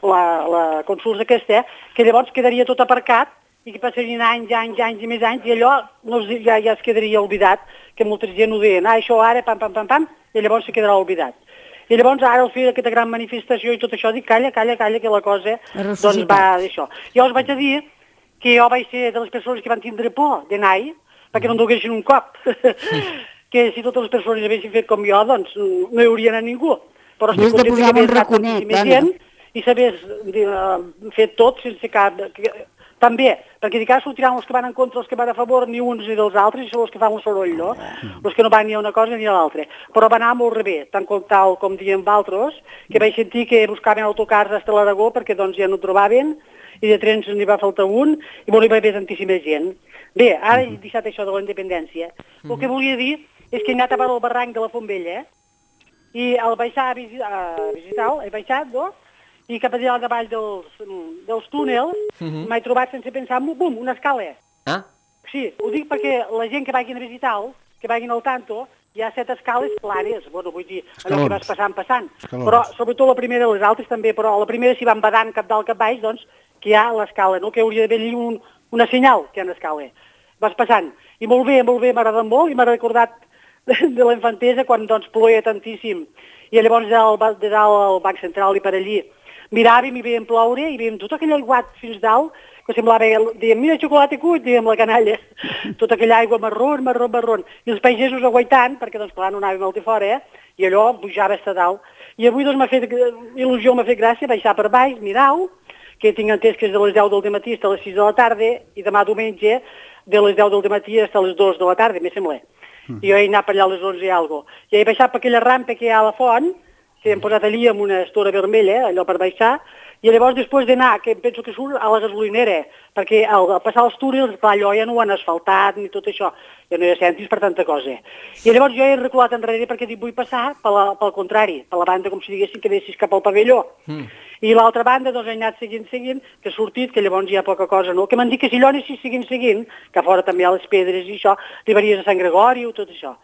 la, la consulta aquesta, que llavors quedaria tot aparcat i que passarien anys, anys, anys i més anys, i allò no es, ja, ja es quedaria oblidat, que molta gent ho deien, ah, això ara, pam, pam, pam, pam, i llavors se quedarà oblidat. I llavors ara al fer aquesta gran manifestació i tot això, dic, calla, calla, calla, que la cosa Ha doncs ressuscitat. va d'això. Jo us vaig a dir que jo vaig ser de les persones que van tindre por d'anar-hi, perquè no em duguessin un cop. Que si totes les persones haguessin fet com jo, doncs no hi hauria anat ningú. Però Havies de posar un raconet, més dona. gent i s'hagués uh, fet tot sense cap... Que, també, perquè dic, ara sortiran els que van en contra, els que van a favor, ni uns ni dels altres, i són els que fan un soroll, no? Els que no van ni a una cosa ni a l'altra. Però va anar molt rebé, tant com tal com diem d'altres, que vaig sentir que buscaven autocars fins a l'Aragó perquè doncs ja no trobaven, i de trens n'hi va faltar un, i molt hi va haver tantíssima gent. Bé, ara he deixat això de la independència. El que volia dir és que he anat a veure el barranc de la Fontbella, i al baixar a visitar, a visitar he baixat, no? I cap allà davall dels, dels túnels m'he trobat sense pensar, bum, una escala. Ah, Sí, ho dic perquè la gent que vagin a visitar-lo, que vagin al tanto, hi ha set escales planes, bueno, vull dir, allò que Escalons. vas passant, passant. Escalons. Però, sobretot la primera, les altres també, però a la primera si van badant cap dalt, cap baix, doncs, que hi ha l'escala, no? Que hauria d'haver allí un, una senyal que hi ha una escala. Vas passant. I molt bé, molt bé, m'ha agradat molt, i m'ha recordat de, de la infantesa quan, doncs, ploia tantíssim. I llavors de dalt, de dalt al Banc Central i per allí miràvem i veiem ploure i veiem tot aquell aiguat fins dalt, que semblava, dèiem, mira, xocolata cuit, dèiem la canalla, tota aquella aigua marrón, marrón, marrón, i els pagesos aguaitant, perquè doncs clar no anàvem molt de fora, eh? I allò pujava a dalt. I avui doncs m'ha fet il·lusió, m'ha fet gràcia baixar per baix, mirar-ho, que tinc entès que és de les deu del matí fins a les sis de la tarda, i demà diumenge de les deu del matí fins a les dues de la tarda, me sembla. Mm. I jo he anat per allà a les onze i alguna cosa. I he baixat per aquella rampa que hi ha a la font, que hem posat allí amb una estora vermella, allò per baixar, i llavors després d'anar, que penso que surt a la gasolinera, perquè al, al passar els túnels, clar, allò ja no ho han asfaltat ni tot això, ja no hi ha centis per tanta cosa. I llavors jo he reculat enrere perquè dic, vull passar per la, pel contrari, per la banda com si diguessin que anessis cap al pavelló. Mm. I l'altra banda doncs he anat seguint, seguint, que ha sortit, que llavors hi ha poca cosa, no? Que m'han dit que si allò anessis seguint, seguint, que a fora també hi ha les pedres i això, arribaries a Sant Gregori o tot això.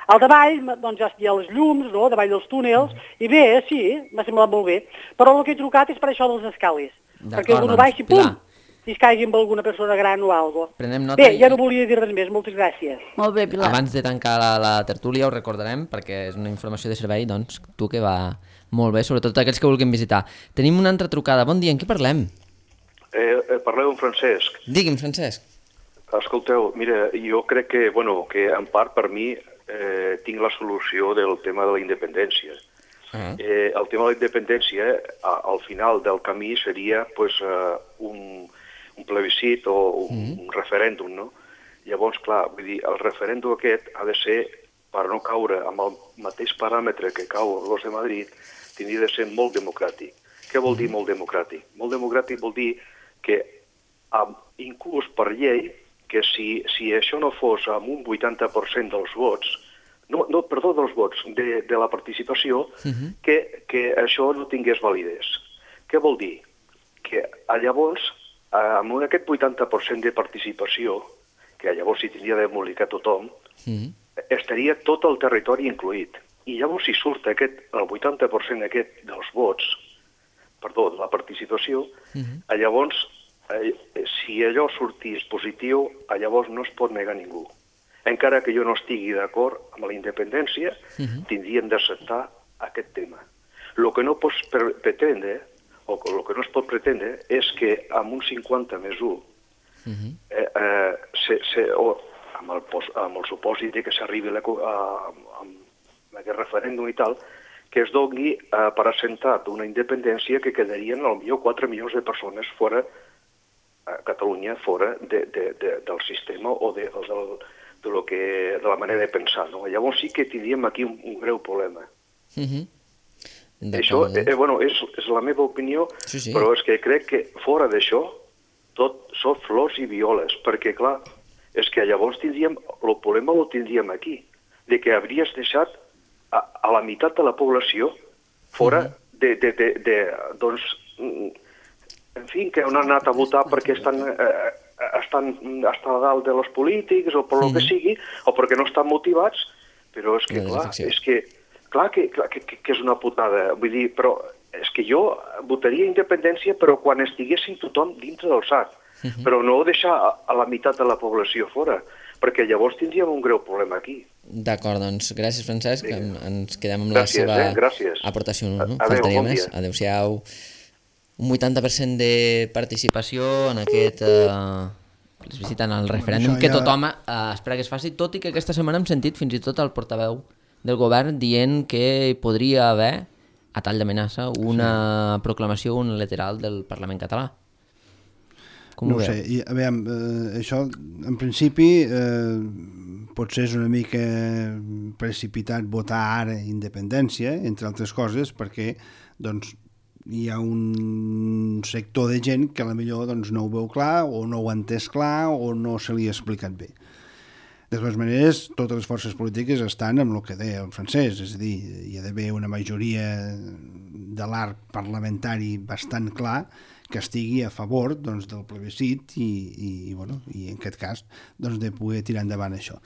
Al davall, doncs ja hi ha les llums, no?, davall dels túnels, i bé, sí, m'ha semblat molt bé. Però el que he trucat és per això dels escales, perquè algú no baixi, pum, si es caigui amb alguna persona gran o alguna cosa. Bé, ja no volia dir res més, moltes gràcies. Molt bé, Pilar. Abans de tancar la, la tertúlia ho recordarem, perquè és una informació de servei, doncs, tu que va molt bé, sobretot aquells que vulguin visitar. Tenim una altra trucada. Bon dia, en qui parlem? Eh, eh, parleu amb Francesc. Digui'm, Francesc. Escolteu, mira, jo crec que, bueno, que en part per mi eh, tinc la solució del tema de la independència. Uh-huh. eh, el tema de la independència, a, al final del camí, seria pues, uh, un, un plebiscit o un, uh-huh. un referèndum, no? Llavors, clar, vull dir, el referèndum aquest ha de ser, per no caure amb el mateix paràmetre que cau l'Os de Madrid, tindria de ser molt democràtic. Què vol dir molt democràtic? Molt democràtic vol dir que, amb, inclús per llei, que si, si això no fos amb un vuitanta per cent dels vots, no, no perdó, dels vots, de, de la participació, uh-huh. que, que això no tingués validesa. Què vol dir? Que llavors, amb aquest vuitanta per cent de participació, que llavors s'hi tindria d'embolicar tothom, uh-huh. estaria tot el territori incluït. I llavors si surt aquest, el vuitanta per cent aquest dels vots, perdó, de la participació, uh-huh. llavors Eh, si allò sortís positiu, llavors no es pot negar ningú. Encara que jo no estigui d'acord amb la independència, uh-huh. tindríem d'acceptar aquest tema. El que no pots pretendre, o el que no es pot pretendre, és que amb un cinquanta més u, uh-huh. eh, eh, se, se, o amb, el, amb el supòsit que s'arribi a, a, a aquest referèndum i tal, que es doni eh, per assentat una independència que quedarien potser quatre milions de persones fora a Catalunya fora de, de, de, del sistema o, de, o del, de, lo que, de la manera de pensar. No? Llavors sí que tindríem aquí un, un greu problema. Uh-huh. Això eh, bueno, és, és la meva opinió, sí, sí. Però és que crec que fora d'això tot són flors i violes, perquè clar, és que llavors tindríem, el problema el tindríem aquí, de que hauries deixat a, a la meitat de la població fora uh-huh. de, de, de, de, doncs, en fi, que han anat a votar perquè estan, eh, estan, estan a dalt de los polítics o per lo que sigui, o perquè no estan motivats, però és que, clar, és que, clar que, clar que, que és una putada. Vull dir, però és que jo votaria independència, però quan estiguessin tothom dintre del sac, uh-huh. però no deixar a la meitat de la població fora, perquè llavors tindríem un greu problema aquí. D'acord, doncs gràcies, Francesc, sí. Ens quedem amb gràcies, la seva eh? aportació. No? Adéu, Faltaria bon més. Adéu-siau. Un vuitanta per cent de participació en aquest eh, les visiten al referèndum ja... que tothom eh, espera que es faci, tot i que aquesta setmana hem sentit fins i tot el portaveu del govern dient que podria haver, a tall d'amenaça, una sí. proclamació unilateral del Parlament català. Com no ho sé, I, a veure, eh, això en principi eh, potser és una mica precipitat votar ara independència, entre altres coses, perquè doncs hi ha un sector de gent que potser doncs, no ho veu clar o no ho ha entès clar o no se li ha explicat bé. De totes maneres, totes les forces polítiques estan amb el que deia el Francesc, és a dir, hi ha d'haver una majoria de l'arc parlamentari bastant clar que estigui a favor doncs, del plebiscit i, i, i, bueno, i en aquest cas doncs, de poder tirar endavant això.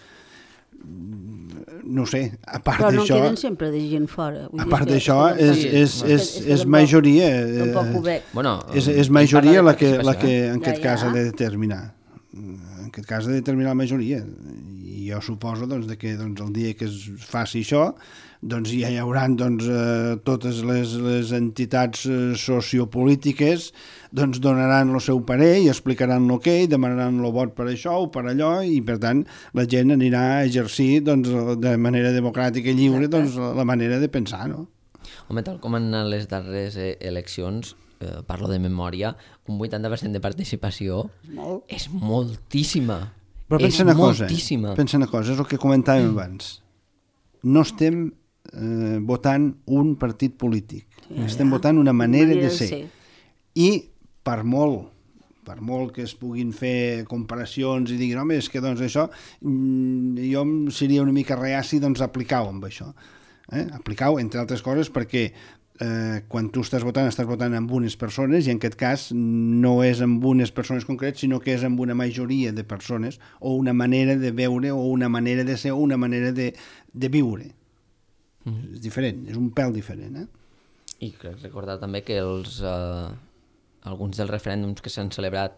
No sé, a part d'això... Però no d'això, queden sempre de gent fora. A part d'això, és, és, és, és majoria... Eh, bueno, és, és majoria la que, la que en aquest ja, ja. cas ha de determinar. En aquest cas ha de determinar la majoria. I jo suposo doncs, que doncs, el dia que es faci això doncs, ja hi haurà doncs, eh, totes les, les entitats eh, sociopolítiques doncs, donaran el seu parer i explicaran el que i demanaran el vot per això o per allò i per tant la gent anirà a exercir doncs, de manera democràtica i lliure doncs, la manera de pensar, no? Home, tal com en les darreres eh, eleccions, eh, parlo de memòria, un vuitanta per cent de participació Molt. és moltíssima. Però pensa és una moltíssima. cosa, pensa una cosa, és el que comentàvem abans. No estem eh, votant un partit polític. Sí, estem ja. votant una manera, manera de de ser. ser. I per molt per molt que es puguin fer comparacions i diguin, home, és que doncs això jo seria una mica reaci doncs aplicar-ho amb això. Eh? Aplicar-ho, entre altres coses, perquè eh, quan tu estàs votant, estàs votant amb unes persones i en aquest cas no és amb unes persones concretes, sinó que és amb una majoria de persones o una manera de veure o una manera de ser o una manera de, de viure. Mm. És diferent, és un pèl diferent. Eh? I crec recordar també que els... Eh... alguns dels referèndums que s'han celebrat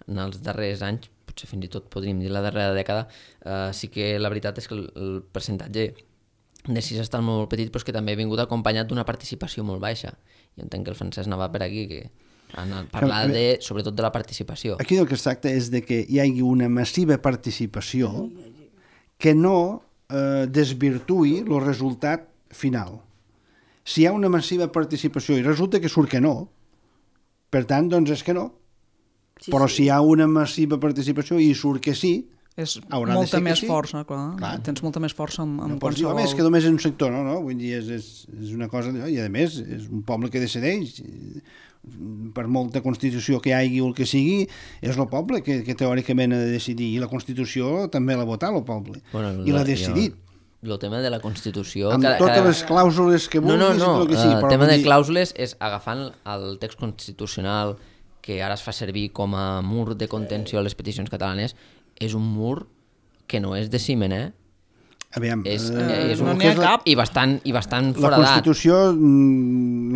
en els darrers anys, potser fins i tot podríem dir la darrera dècada, eh, sí que la veritat és que el, el percentatge de sí està molt petit, però és que també ha vingut acompanyat d'una participació molt baixa. Jo entenc que el Francesc anava per aquí, que han parlat de, sobretot de la participació. Aquí el que es tracta és de que hi hagi una massiva participació que no eh, desvirtuï el resultat final. Si hi ha una massiva participació i resulta que surt que no, per tant, doncs és que no. Sí, però sí. Si hi ha una massiva participació i surt que sí, és haurà molta de ser més sí. força, clar. clar. Tens molta més força amb, amb no pots qualsevol... dir, home, és que només és un sector, no? no? Vull dir, és, és, és una cosa... I a més, és un poble que decideix. Per molta Constitució que hi hagi o el que sigui, és el poble que, que teòricament ha de decidir. I la Constitució també l'ha votat el poble. Bueno, I l'ha decidit. El tema de la Constitució... Amb cada, totes cada... les clàusules que vulguis... No, no, no, i que sigui, el però tema de dir... clàusules és agafant el text constitucional que ara es fa servir com a mur de contenció a les peticions catalanes, és un mur que no és de ciment, eh? Aviam, és, eh, és un no n'hi ha cap. I bastant, i bastant la foradat. La Constitució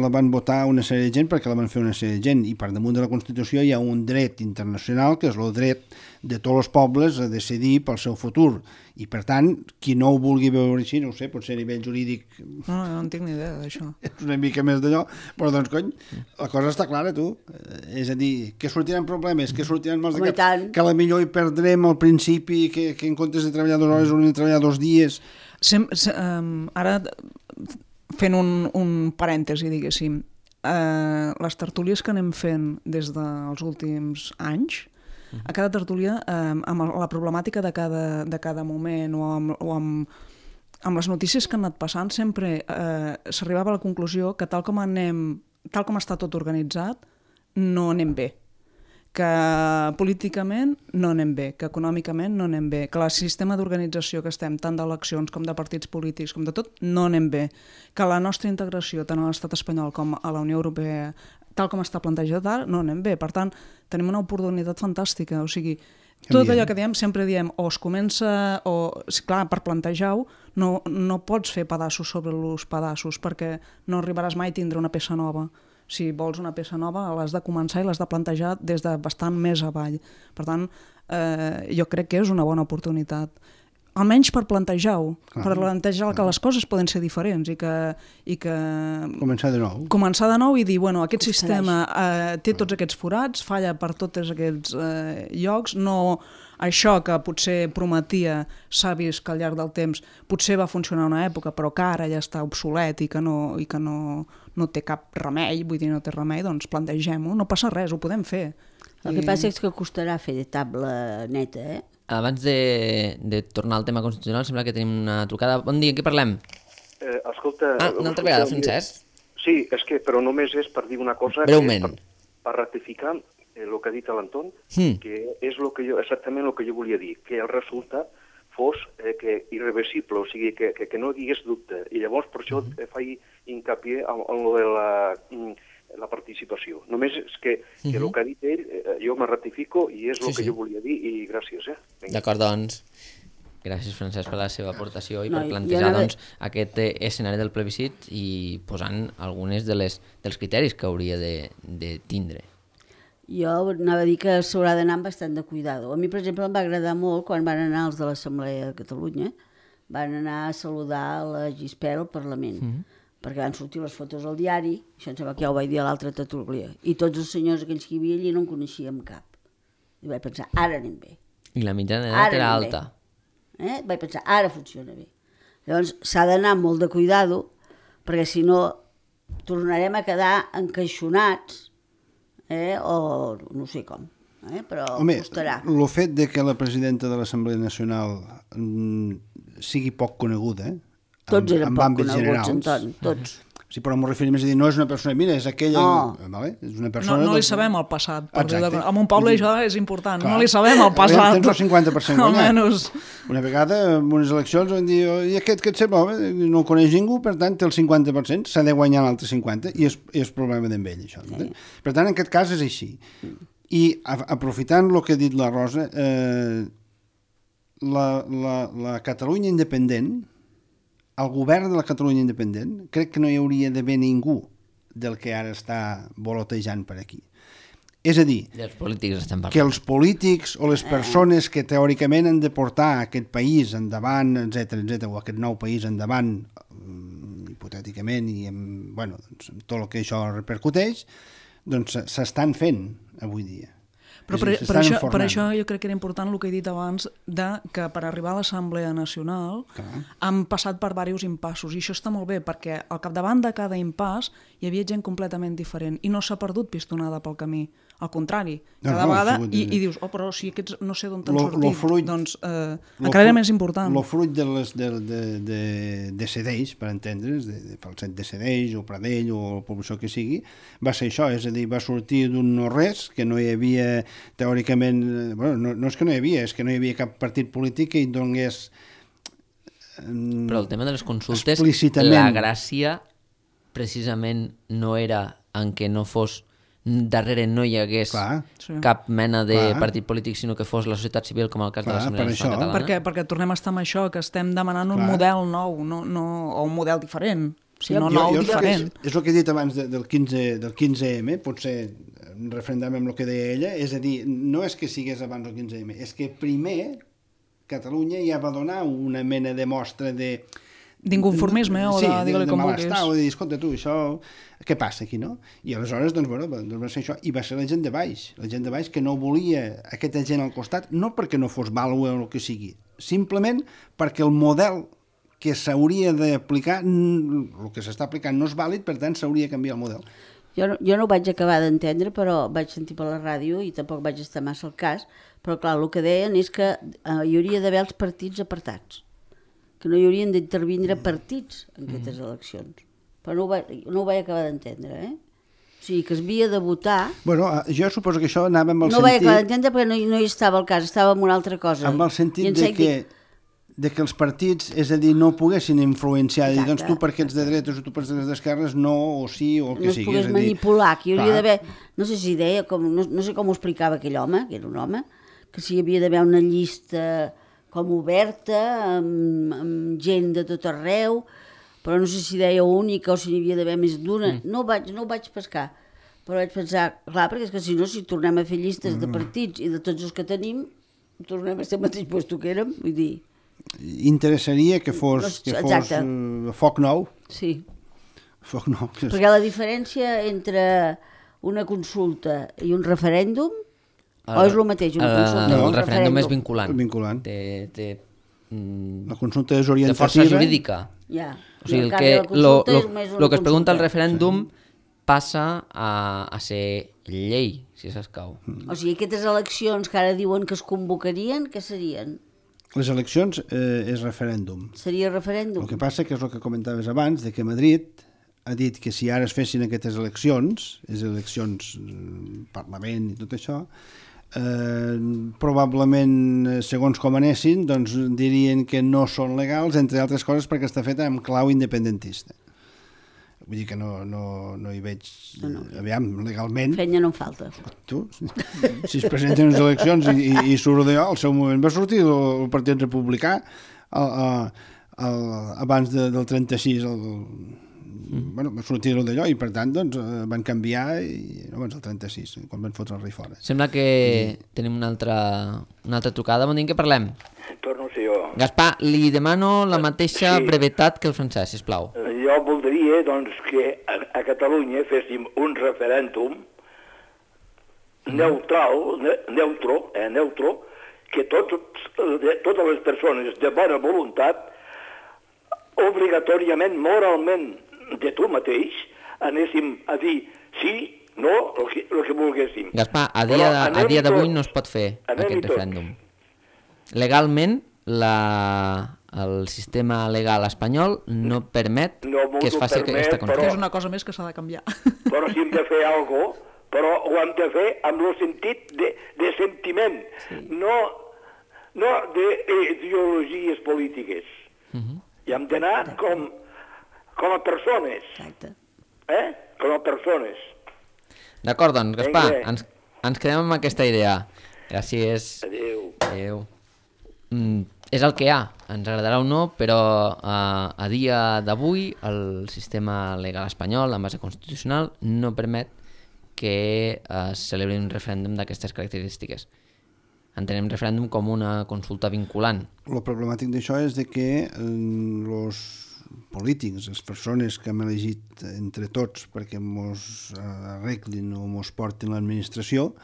la van votar una sèrie de gent perquè la van fer una sèrie de gent i per damunt de la Constitució hi ha un dret internacional que és el dret de tots els pobles a decidir pel seu futur i per tant, qui no ho vulgui veure així, no ho sé, potser a nivell jurídic no, no, no en tinc ni idea d'això. És una mica més d'allò, però doncs cony la cosa està clara, tu, és a dir que sortiran problemes, que sortiran mals de cap que a la millor hi perdrem al principi que, que en comptes de treballar dues hores haurem de treballar dos dies. Sem, se, um, ara fent un, un parèntesi, diguéssim, uh, les tertúlies que anem fent des dels últims anys, a cada tertúlia, eh, amb la problemàtica de cada, de cada moment o, amb, o amb, amb les notícies que han anat passant, sempre eh, s'arribava a la conclusió que tal com anem, tal com està tot organitzat, no anem bé. Que políticament no anem bé, que econòmicament no anem bé, que el sistema d'organització que estem, tant d'eleccions com de partits polítics, com de tot, no anem bé. Que la nostra integració, tant a l'estat espanyol com a la Unió Europea, tal com està plantejat ara, no anem bé. Per tant, tenim una oportunitat fantàstica. O sigui, tot allò que diem, sempre diem, o es comença, o, clar, per plantejar-ho, no, no pots fer pedaços sobre els pedaços, perquè no arribaràs mai a tindre una peça nova. Si vols una peça nova, l'has de començar i l'has de plantejar des de bastant més avall. Per tant, eh, jo crec que és una bona oportunitat. Almenys per plantejar-ho, ah. per plantejar que les coses poden ser diferents i que... I que començar de nou. Començar de nou i dir, bueno, aquest Ostres. sistema eh, té tots aquests forats, falla per tots aquests eh, llocs, no això que potser prometia s'ha vist que al llarg del temps potser va funcionar una època, però que ara ja està obsolet i que no, i que no, no té cap remei, vull dir, no té remei, doncs plantegem-ho, no passa res, ho podem fer. El I... que passa és que costarà fer de taula neta, eh? Abans de, de tornar al tema constitucional, sembla que tenim una trucada. Bon dia, què parlem? Eh, escolta... Ah, una altra vegada, Francesc? Sí, és que, però només és per dir una cosa... Breument. Per, per ratificar el que ha dit l'Anton, mm. que és lo que jo, exactament el que jo volia dir, que el resultat fos eh, que irreversible, o sigui, que, que, que no hi hagués dubte. I llavors, per això, mm. faig hincapié en, en lo de la... la participació. Només és que, que uh-huh. el que ha dit ell, eh, jo me ratifico i és el sí, que sí. jo volia dir i gràcies. Eh? D'acord, doncs. Gràcies, Francesc, per la seva aportació i no, per plantejar no... doncs, aquest escenari del plebiscit i posant algunes de les, dels criteris que hauria de, de tindre. Jo anava a dir que s'haurà d'anar amb bastant de cuidado. A mi, per exemple, em va agradar molt quan van anar els de l'Assemblea de Catalunya, van anar a saludar la Gispert al Parlament. Uh-huh. Perquè van sortir les fotos al diari, això em sembla que ja ho vaig dir a l'altra tertúlia, i tots els senyors aquells que hi havia allí no en coneixíem cap. I vaig pensar, ara anem bé. I la mitjana d'edat era alta. Eh? Vaig pensar, ara funciona bé. Llavors s'ha d'anar amb molt de cuidado, perquè si no tornarem a quedar encaixonats, eh? o no sé com, eh? però Home, costarà. El fet de que la presidenta de l'Assemblea Nacional mm, sigui poc coneguda, Tots eren en poc àmbits coneguts, generals. Antoni, tots. Sí, però m'ho referim a dir, no és una persona, mira, és aquella... No. Vale? És una No, persona... no li del- sabem el passat. Per dir Exacte. de... En un poble això és important. Clar. No li sabem el passat. Tens el cinquanta per cent guanyat. Almenys. Una vegada, en unes eleccions, van dir, i aquest que et sembla, home, no el coneix ningú, per tant, té el cinquanta per cent, s'ha de guanyar l'altre cinquanta, i és, és problema d'en ell, això. Sí. Per tant, en aquest cas és així. I a, aprofitant el que ha dit la Rosa, eh, la, la, la Catalunya independent, el govern de la Catalunya independent, crec que no hi hauria d'haver ningú del que ara està volotejant per aquí. És a dir, dels polítics estem que parlant. els polítics o les persones que teòricament han de portar aquest país endavant, etcètera, etcètera, o aquest nou país endavant, mm, hipotèticament, i amb, bueno, doncs, amb tot el que això repercuteix, doncs s'estan fent avui dia. Però És per, a dir, per, s'estan això, per enfornant. això jo crec que era important el que he dit abans de que per arribar a l'Assemblea Nacional Clar. han passat per diversos impassos i això està molt bé perquè al capdavant de cada impàs hi havia gent completament diferent i no s'ha perdut pistonada pel camí. Al contrari, No, cada no, vegada ha sigut- i, i dius, oh, però si aquests no sé d'on t'han Lo- sortit, lo fruit- doncs eh, Lo encara era fru- més important. El fruit de, les, de, de, de, de Cedeix, per entendre's, de, de Falset de Cedeix o Pradell o la població que sigui, va ser això, és a dir, va sortir d'un no res, que no hi havia teòricament, eh, bueno, no, no és que no hi havia, és que no hi havia cap partit polític que hi donés... Però el tema de les consultes, explícitament. la gràcia precisament no era en què no fos darrere no hi hagués Clar. Sí. cap mena de Clar. partit polític, sinó que fos la societat civil, com el cas Clar, de l'Assemblea per Nacional això. Catalana. Perquè, perquè tornem a estar amb això, que estem demanant un Clar. model nou no, no, o un model diferent, sinó Jo- nou, jo crec que diferent. És, és el que he dit abans de, del, quinze, del quinze eme, potser referendam amb el que deia ella, és a dir, no és que sigués abans del quinze eme, és que primer Catalunya ja va donar una mena de mostra de... D'inconformisme o de, sí, digue-li de com malestar, o vulguis. de dir, escolta tu, això, què passa aquí, no? I aleshores, doncs, bueno, va, doncs va ser això, i va ser la gent de baix, la gent de baix que no volia aquesta gent al costat, no perquè no fos vàlua o el que sigui, simplement perquè el model que s'hauria d'aplicar, mm, el que s'està aplicant no és vàlid, per tant s'hauria de canviar el model. Jo no, jo no ho vaig acabar d'entendre, però vaig sentir per la ràdio i tampoc vaig estar massa al cas, però clar, el que deien és que eh, hi hauria d'haver els partits apartats, que no hi haurien d'intervindre partits en aquestes eleccions. Però no ho, va, no ho vaig acabar d'entendre, eh? O sigui, que es havia de votar... Bueno, eh, jo suposo que això anava amb el No ho vaig sentit... acabar d'entendre perquè no, hi- no hi estava al cas, estava en una altra cosa. amb el I sentit em de sent que, de que els partits, és a dir, no poguessin influenciar, de dir, doncs Exacte. tu perquè ets de dretes o tu perquè ets d'esquerres, no, o sí, o el que no es sigui. pogués és a dir, manipular, que hi hauria clar. d'haver... No sé si deia, com, no, no sé com ho explicava aquell home, que era un home, que si hi havia d'haver una llista com oberta, amb, amb gent de tot arreu, però no sé si deia única o si n'hi havia d'haver més d'una. Mm. No, ho vaig, no ho vaig pescar, però vaig pensar, clar, perquè és que si no, si tornem a fer llistes mm. de partits i de tots els que tenim, tornem a ser al mateix lloc que érem, vull dir... Interessaria que fos, No, que fos exacte. uh, foc nou. Sí, Foc nou. Que és... perquè la diferència entre una consulta i un referèndum, o és el mateix, una el, consulta el, o un referèndum és referèndum? vinculant. Vinculant. Té, té, mm, La consulta és té orientativa. força jurídica. Ja. O sigui, En el canvi, que, la lo, consulta lo, és només una lo que es pregunta al consulta. referèndum passa a, a ser llei, si s'escau. O sigui, aquestes eleccions que ara diuen que es convocarien, què serien? Les eleccions eh, és referèndum. Seria referèndum? El que passa que és el que comentaves abans, de que Madrid ha dit que si ara es fessin aquestes eleccions, les eleccions eh, Parlament i tot això, eh, probablement, segons com anessin, doncs dirien que no són legals, entre altres coses perquè està feta amb clau independentista. Vull dir que no, no, no hi veig... No, no. Aviam, legalment... Feina no en falta. Tu, si es presenten unes eleccions i, i, i surt d'allò, al seu moment va sortir el, el Partit Republicà el, el, el, abans de, del trenta-sis el, mm. bueno, va sortir d'allò i per tant doncs, van canviar i, no, abans del trenta-sis, quan van fotre el rei fora. Sembla que tenim una altra, una altra trucada. Bon dia, que parlem? Torno a ser jo. Gaspar, li demano la mateixa Sí. brevetat que el francès, sisplau. Jo voldria doncs, que a, a Catalunya féssim un referèndum neutral, ne, neutro, eh, neutro, que tots, de, totes les persones de bona voluntat, obligatòriament, moralment, de tu mateix, anéssim a dir sí, no, el que, el que volguéssim. Gaspar, a Però dia, a anem-hi dia d'avui tots. no es pot fer Anem-hi aquest tots. referèndum. Legalment, la, el sistema legal espanyol no permet No m'ho que es faci permet, aquesta però- constitució. Que és una cosa més que s'ha de canviar. Però si hem de fer alguna cosa, però ho hem de fer amb el sentit de, de sentiment, sí. no, no d'ideologies polítiques. Uh -huh. I hem d'anar com, com a persones, Exacte. eh? Com a persones. D'acord, doncs, Gaspar, Vinga. ens, ens quedem amb aquesta idea. Gràcies. Adéu. Adéu. Mm, és el que hi ha, ens agradarà o no, però uh, a dia d'avui el sistema legal espanyol, en base constitucional, no permet que uh, es celebri un referèndum d'aquestes característiques. Entenem referèndum com una consulta vinculant. El problemàtic d'això és de que els polítics, les persones que hem elegit entre tots perquè mos arreglin o mos portin l'administració,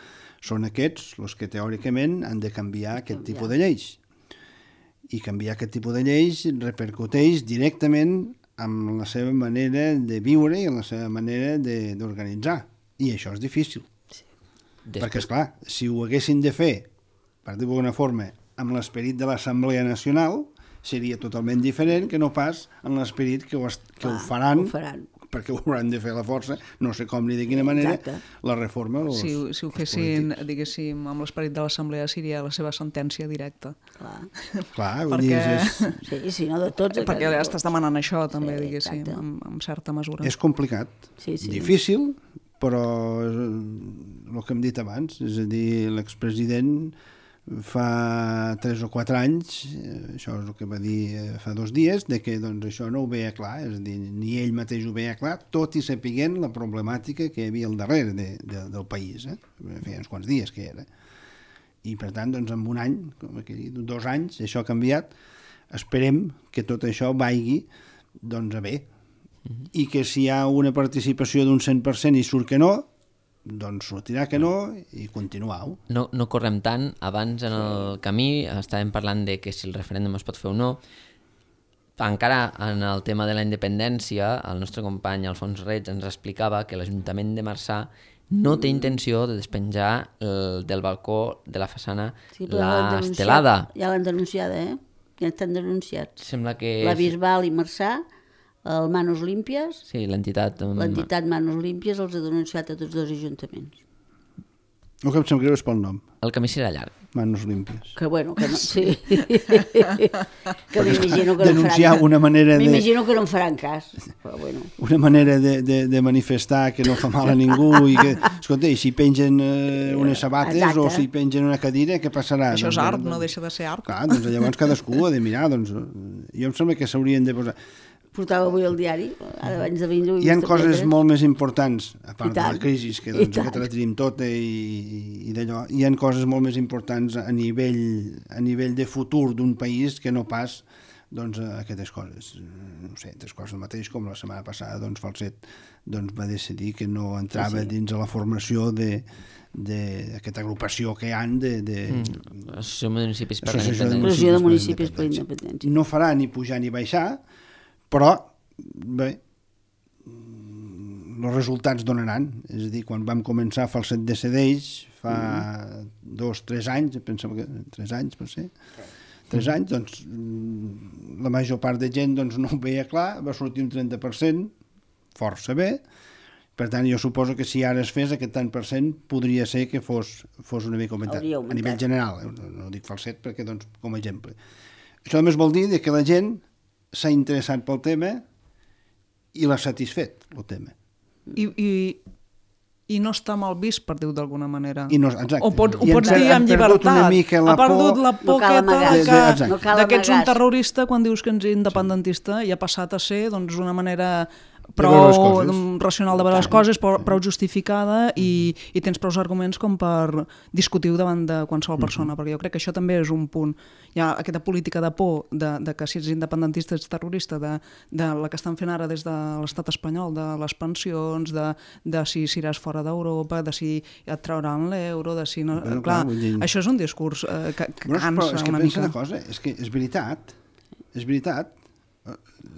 són aquests els que teòricament han de canviar aquest Canviar. tipus de lleis. I canviar aquest tipus de lleis repercuteix directament amb la seva manera de viure i en la seva manera de- d'organitzar. I això és difícil. Després, Perquè, esclar, si ho haguessin de fer, per dir-ho d'alguna forma, amb l'esperit de l'Assemblea Nacional, seria totalment diferent que no pas en l'esperit que, ho, est- que Clar, ho faran, ho faran. perquè ho hauran de fer a la força, no sé com ni de quina manera, Exacte. la reforma dels, Si, ho- si ho dels fessin, polítics. diguéssim, amb l'esperit de l'Assemblea, seria la seva sentència directa. Clar. Clar, vull dir, Perquè, és, Sí, sí, no de tots. de perquè tots. estàs demanant això, també, Sí, diguéssim, exacte. amb, amb certa mesura. és complicat, Sí, sí. difícil, però és el que hem dit abans, és a dir, l'expresident fa tres o quatre anys, eh, això és el que va dir eh, fa dos dies, de que doncs, això no ho veia clar, és a dir, ni ell mateix ho veia clar, tot i sapiguent la problemàtica que hi havia al darrere de, de, del país, eh? Feia uns quants dies que era. I per tant, doncs, en un any, com aquí, dos anys, això ha canviat, esperem que tot això vagi doncs, a bé, i que si hi ha una participació d'un cent per cent i surt que no, doncs sortirà que no i continuar-ho. no, no correm tant. Abans en el camí estàvem parlant de que si el referèndum es pot fer o no. Encara en el tema de la independència, el nostre company Alfons Reig ens explicava que l'Ajuntament de Marçà no té intenció de despenjar el, del balcó de la façana Sí, però ja l'han denunciat. l'estelada. Ja l'han denunciada, eh? Ja estan denunciats. Sembla que... La Bisbal i Marçà, el Manos Límpies, Sí, l'entitat... um, l'entitat Manos Límpies els ha denunciat a tots dos ajuntaments. El que em sap greu és pel nom, El camí serà llarg. Manos Límpies. Que bueno, que no... Sí. que m'imagino que no Denunciar faran... una manera de... M'imagino que no en faran cas, però bueno. una manera de, de, de manifestar que no fa mal a ningú i que, escolta, i si pengen eh, unes sabates Exacte. o si pengen una cadira, què passarà? Això és Doncs, art, doncs, no deixa de ser art. Clar, doncs llavors cadascú ha de mirar, doncs, jo em sembla que s'haurien de posar... Portava avui el diari, ara abans de venir... Hi ha coses molt més importants, a part I de la tant. crisi, que I doncs, tant. aquesta la tenim tota i, i d'allò, hi ha coses molt més importants a nivell, a nivell de futur d'un país que no pas doncs, aquestes coses. No sé, tres coses el mateix, com la setmana passada doncs, Falset doncs, va decidir que no entrava Sí, sí. dins de la formació de d'aquesta agrupació que hi han de... de Mm. Associació de Municipis per la Associació de Independència. Associació de Municipis Municipis per per la la Independència. no farà ni pujar ni baixar, però bé, els resultats donaran. És a dir, quan vam començar Falset decideix, fa mm. dos, tres anys, pensava que tres anys, per ser, tres anys, doncs la major part de gent doncs, no ho veia clar, va sortir un trenta per cent, força bé. Per tant, jo suposo que si ara es fes aquest tant per cent, podria ser que fos, fos una mica augmentat. Hauria A augmentat. nivell general, eh? no, no dic Falset perquè, doncs, com a exemple. Això només vol dir que la gent s'ha interessat pel tema i l'ha satisfet, el tema. I, i, i no està mal vist, per dir-ho d'alguna manera. I no, exacte. O pots, ho I pots han- dir han amb perdut una llibertat. mica la ha perdut por- la No cal poqueta amagar. de De- de- que, exacte. No cal de que ets un amagar. terrorista quan dius que ets independentista i ha passat a ser doncs, una manera veure les prou coses. mm, racional de veure les coses, prou, prou justificada i, i tens prou arguments com per discutir davant de qualsevol persona, perquè jo crec que això també és un punt. Hi ha aquesta política de por de, de que si ets independentista ets terrorista, de, de la que estan fent ara des de l'estat espanyol, de les pensions, de, de si seràs fora d'Europa, de si et trauran l'euro, de si no... Bueno, clar, clar, vull dir- això és un discurs eh, que, que Però, però cansa és que una pensa mica. una cosa, és que és veritat, és veritat, eh,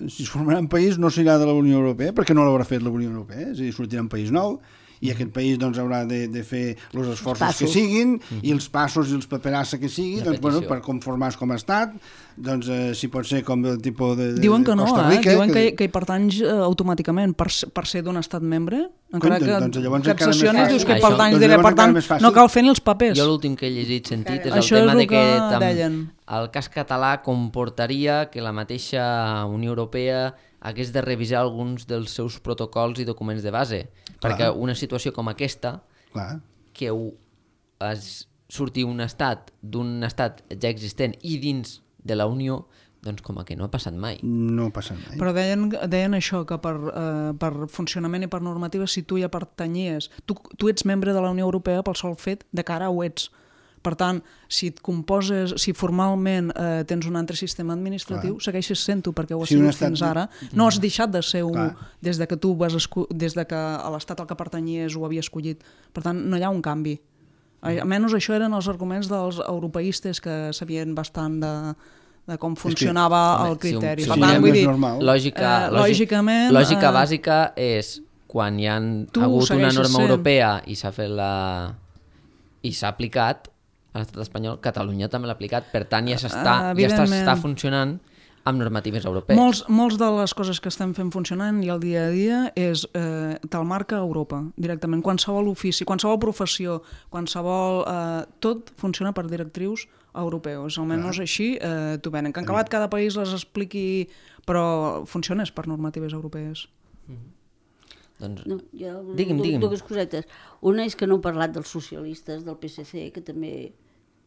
si es formarà un país no serà de la Unió Europea, perquè no l'haurà fet la Unió Europea, és a dir, sortirà un país nou, i aquest país doncs, haurà de, de fer els esforços passos. que siguin i els passos i els paperassa que sigui doncs, bueno, petició. per conformar-se com a estat, doncs, eh, si pot ser com el tipus de, de Diuen que no, Costa eh? Rica. Diuen que, que hi pertanys eh, automàticament per, per ser d'un estat membre, encara Coi, que, doncs llavors que et encara més sessionis, fàcil. dius que hi Això- pertanys, doncs diré, llavors per tant, encara més fàcil. no cal fer ni els papers. Jo l'últim que he llegit, sentit, és el Això és tema el de que, que tam- deien. el cas català comportaria que la mateixa Unió Europea hagués de revisar alguns dels seus protocols i documents de base, Clar. perquè una situació com aquesta, Clar. que ho, es surti un estat d'un estat ja existent i dins de la Unió, doncs com a que no ha passat mai. No passa mai. Però deien, deien això, que per, eh, per funcionament i per normativa, si tu ja pertanyies, tu, tu ets membre de la Unió Europea pel sol fet de cara ho ets. Per tant, si et composes, si formalment eh, tens un altre sistema administratiu, Clar. segueixes sent-ho, perquè ho has Si un sigut estat- fins ara. No has deixat de ser-ho Clar. des de que tu vas esco- des de que a l'estat al que pertanyies ho havia escollit. Per tant, no hi ha un canvi. Almenys això eren els arguments dels europeistes que sabien bastant de, de com funcionava Home, el criteri. Si, Per si tant, mirem, vull dir, normal. lògica, Eh, lògic, lògicament, lògica eh, bàsica és quan hi ha tu hagut una segueixes norma sent- europea i s'ha fet la... i s'ha aplicat a l'estat espanyol, Catalunya també l'ha aplicat, per tant ja s'està Eh, ja està, evidentment. està funcionant amb normatives europees. Molts, molts de les coses que estem fent funcionant i el dia a dia és eh, te'l marca Europa directament. Qualsevol ofici, qualsevol professió, qualsevol... Eh, tot funciona per directrius europeus. Almenys així eh, t'ho venen. Que en acabat cada país les expliqui, però funciona és per normatives europees. Doncs, No, jo, Digui'm, du- digui'm. Dues cosetes. Una és que no heu parlat dels socialistes, del P S C, que també...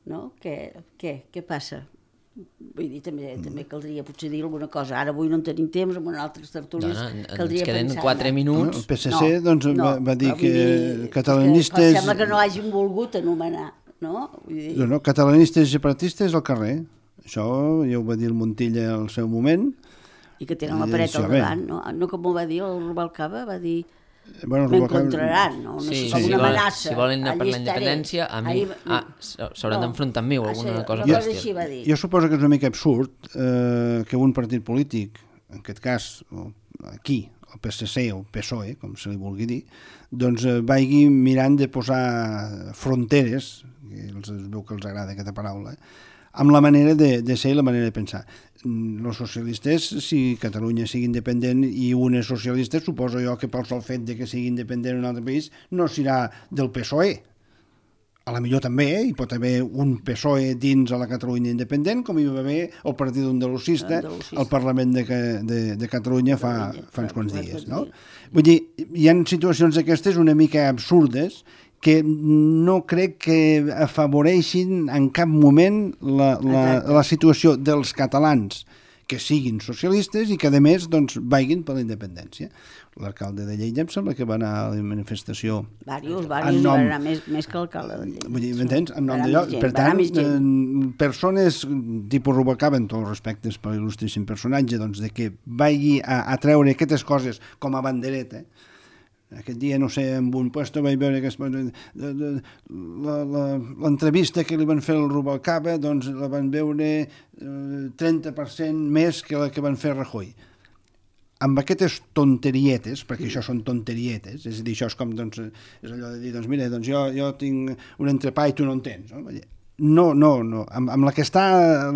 No? Què, què, què passa? Vull dir, també, també caldria potser dir alguna cosa. Ara avui no en tenim temps, amb unes altres tertúlies Dona, en- caldria ens queden pensar-ne. quatre minuts. El P S C doncs, va, va dir però vull que dir, catalanistes... és que sembla que no hagin volgut anomenar, no? Vull dir, No, no, catalanistes i separatistes al carrer. Això ja ho va dir el Montilla al seu moment. i que tenen la i paret això, al bé. davant, no? No com ho va dir el Rubalcaba, va dir... Bueno, M'encontraran, no? no Sí, sé, com si, una volen, amenaça. si volen anar per Allí la estaré. independència, a mi... Ahí- Ah, s'hauran No. d'enfrontar amb mi o Ah, alguna sí, cosa una per cosa així l'estil. va dir. Jo suposo que és una mica absurd eh, que un partit polític, en aquest cas o aquí, el P S C o el P S O E, com se li vulgui dir, doncs eh, vagi mirant de posar fronteres, que els, es veu que els agrada aquesta paraula, amb la manera de, de ser i la manera de pensar. Els socialistes, si Catalunya sigui independent i un és socialista, suposo jo que pel sol fet de que sigui independent en un altre país no serà del P S O E. A la millor també, eh? Hi pot haver un P S O E dins a la Catalunya independent, com hi va haver el Partit Andalusista Andalusista. al Parlament de, de, de Catalunya fa, Catalunya, fa uns fa- quants fa dies. quants No? dies. Vull dir, hi ha situacions d'aquestes una mica absurdes que no crec que afavoreixin en cap moment la, la, Exacte. la situació dels catalans que siguin socialistes i que, a més, doncs, vagin per la independència. L'alcalde de Lleida em sembla que va anar a la manifestació Vàrios, en vàrios, nom- va anar més, més que l'alcalde de Lleida. Vull dir, m'entens? En nom Va anar d'allò. més gent, Per va anar tant, més gent. eh, persones tipus Rubalcaba, amb tots els respectes per l'il·lustríssim personatge, doncs, de que vagi a, a treure aquestes coses com a bandereta. Aquest dia, no sé, en un puesto vaig veure que es- de- de- la- la- l'entrevista que li van fer al Rubalcaba, doncs la van veure eh, trenta per cent més que la que van fer a Rajoy. Amb aquestes tonterietes, perquè això són tonterietes, és a dir, això és com, doncs, és allò de dir, doncs mira, doncs jo, jo tinc un entrepà i tu no en tens, no? No, no, no. Amb, amb la que està,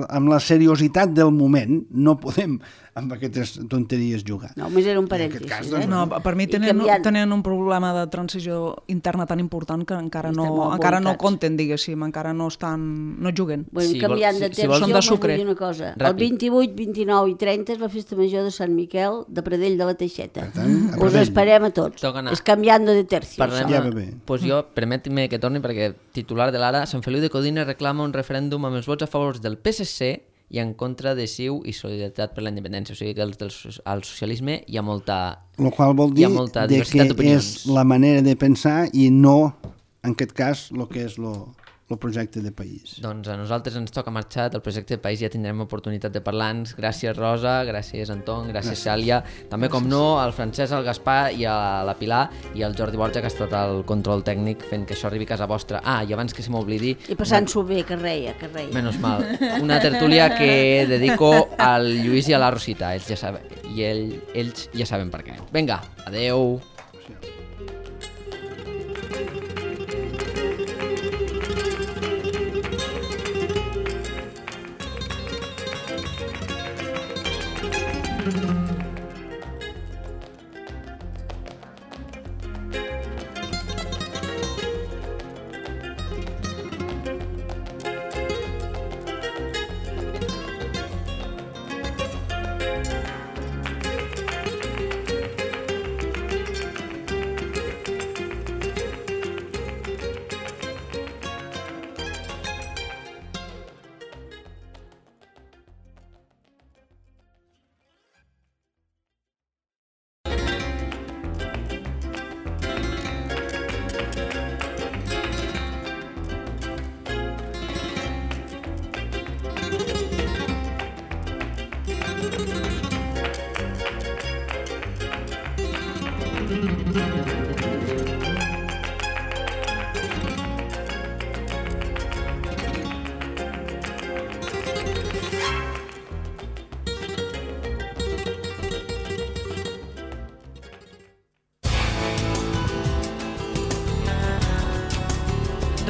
amb la seriositat del moment, no podem amb aquestes tonteries jugar. No, només era un En aquest parèntesis. cas, eh? doncs, No, per mi I tenen, canviant- tenen un problema de transició interna tan important que encara Estan no, molt encara no volcats. compten, diguéssim, encara no estan, no juguen. Bueno, Si si vol- canviant si- de si temps, vols- jo Són de m'ho vull sucre. dir una cosa. Ràpid. El vint-i-vuit, vint-i-nou i trenta és la festa major de Sant Miquel de Pradell de la Teixeta. Per tant, a Us Pradell. esperem a tots. Toca anar. És canviant de tercio. Parlem, això. Ja va bé. Pues jo, permet-me que torni perquè titular de l'Ara, Sant Feliu de Codines reclama un referèndum amb els vots a favor del P S C i en contra de C I U i Solidaritat per la Independència. O sigui que els del, al socialisme hi ha molta... El qual vol Hi dir ha molta de diversitat que d'opinions. és la manera de pensar i no, en aquest cas, el que és el projecte de país. Doncs a nosaltres ens toca marxar del projecte de país, ja tindrem oportunitat de parlar-nos. Gràcies, Rosa, gràcies, Anton, gràcies, Cèlia. També, com no, al Francesc, al Gaspar i a la Pilar i al Jordi Borja, que ha estat el control tècnic fent que això arribi a casa vostra. Ah, i abans que se m'oblidi... I passant-s'ho bé, que reia, que reia. Menos mal. Una tertúlia que dedico al Lluís i a la Rosita. Ells ja saben, i ell, ells ja saben per què. Vinga, adeu.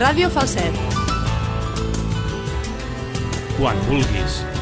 Ràdio Falset. Quan vulguis.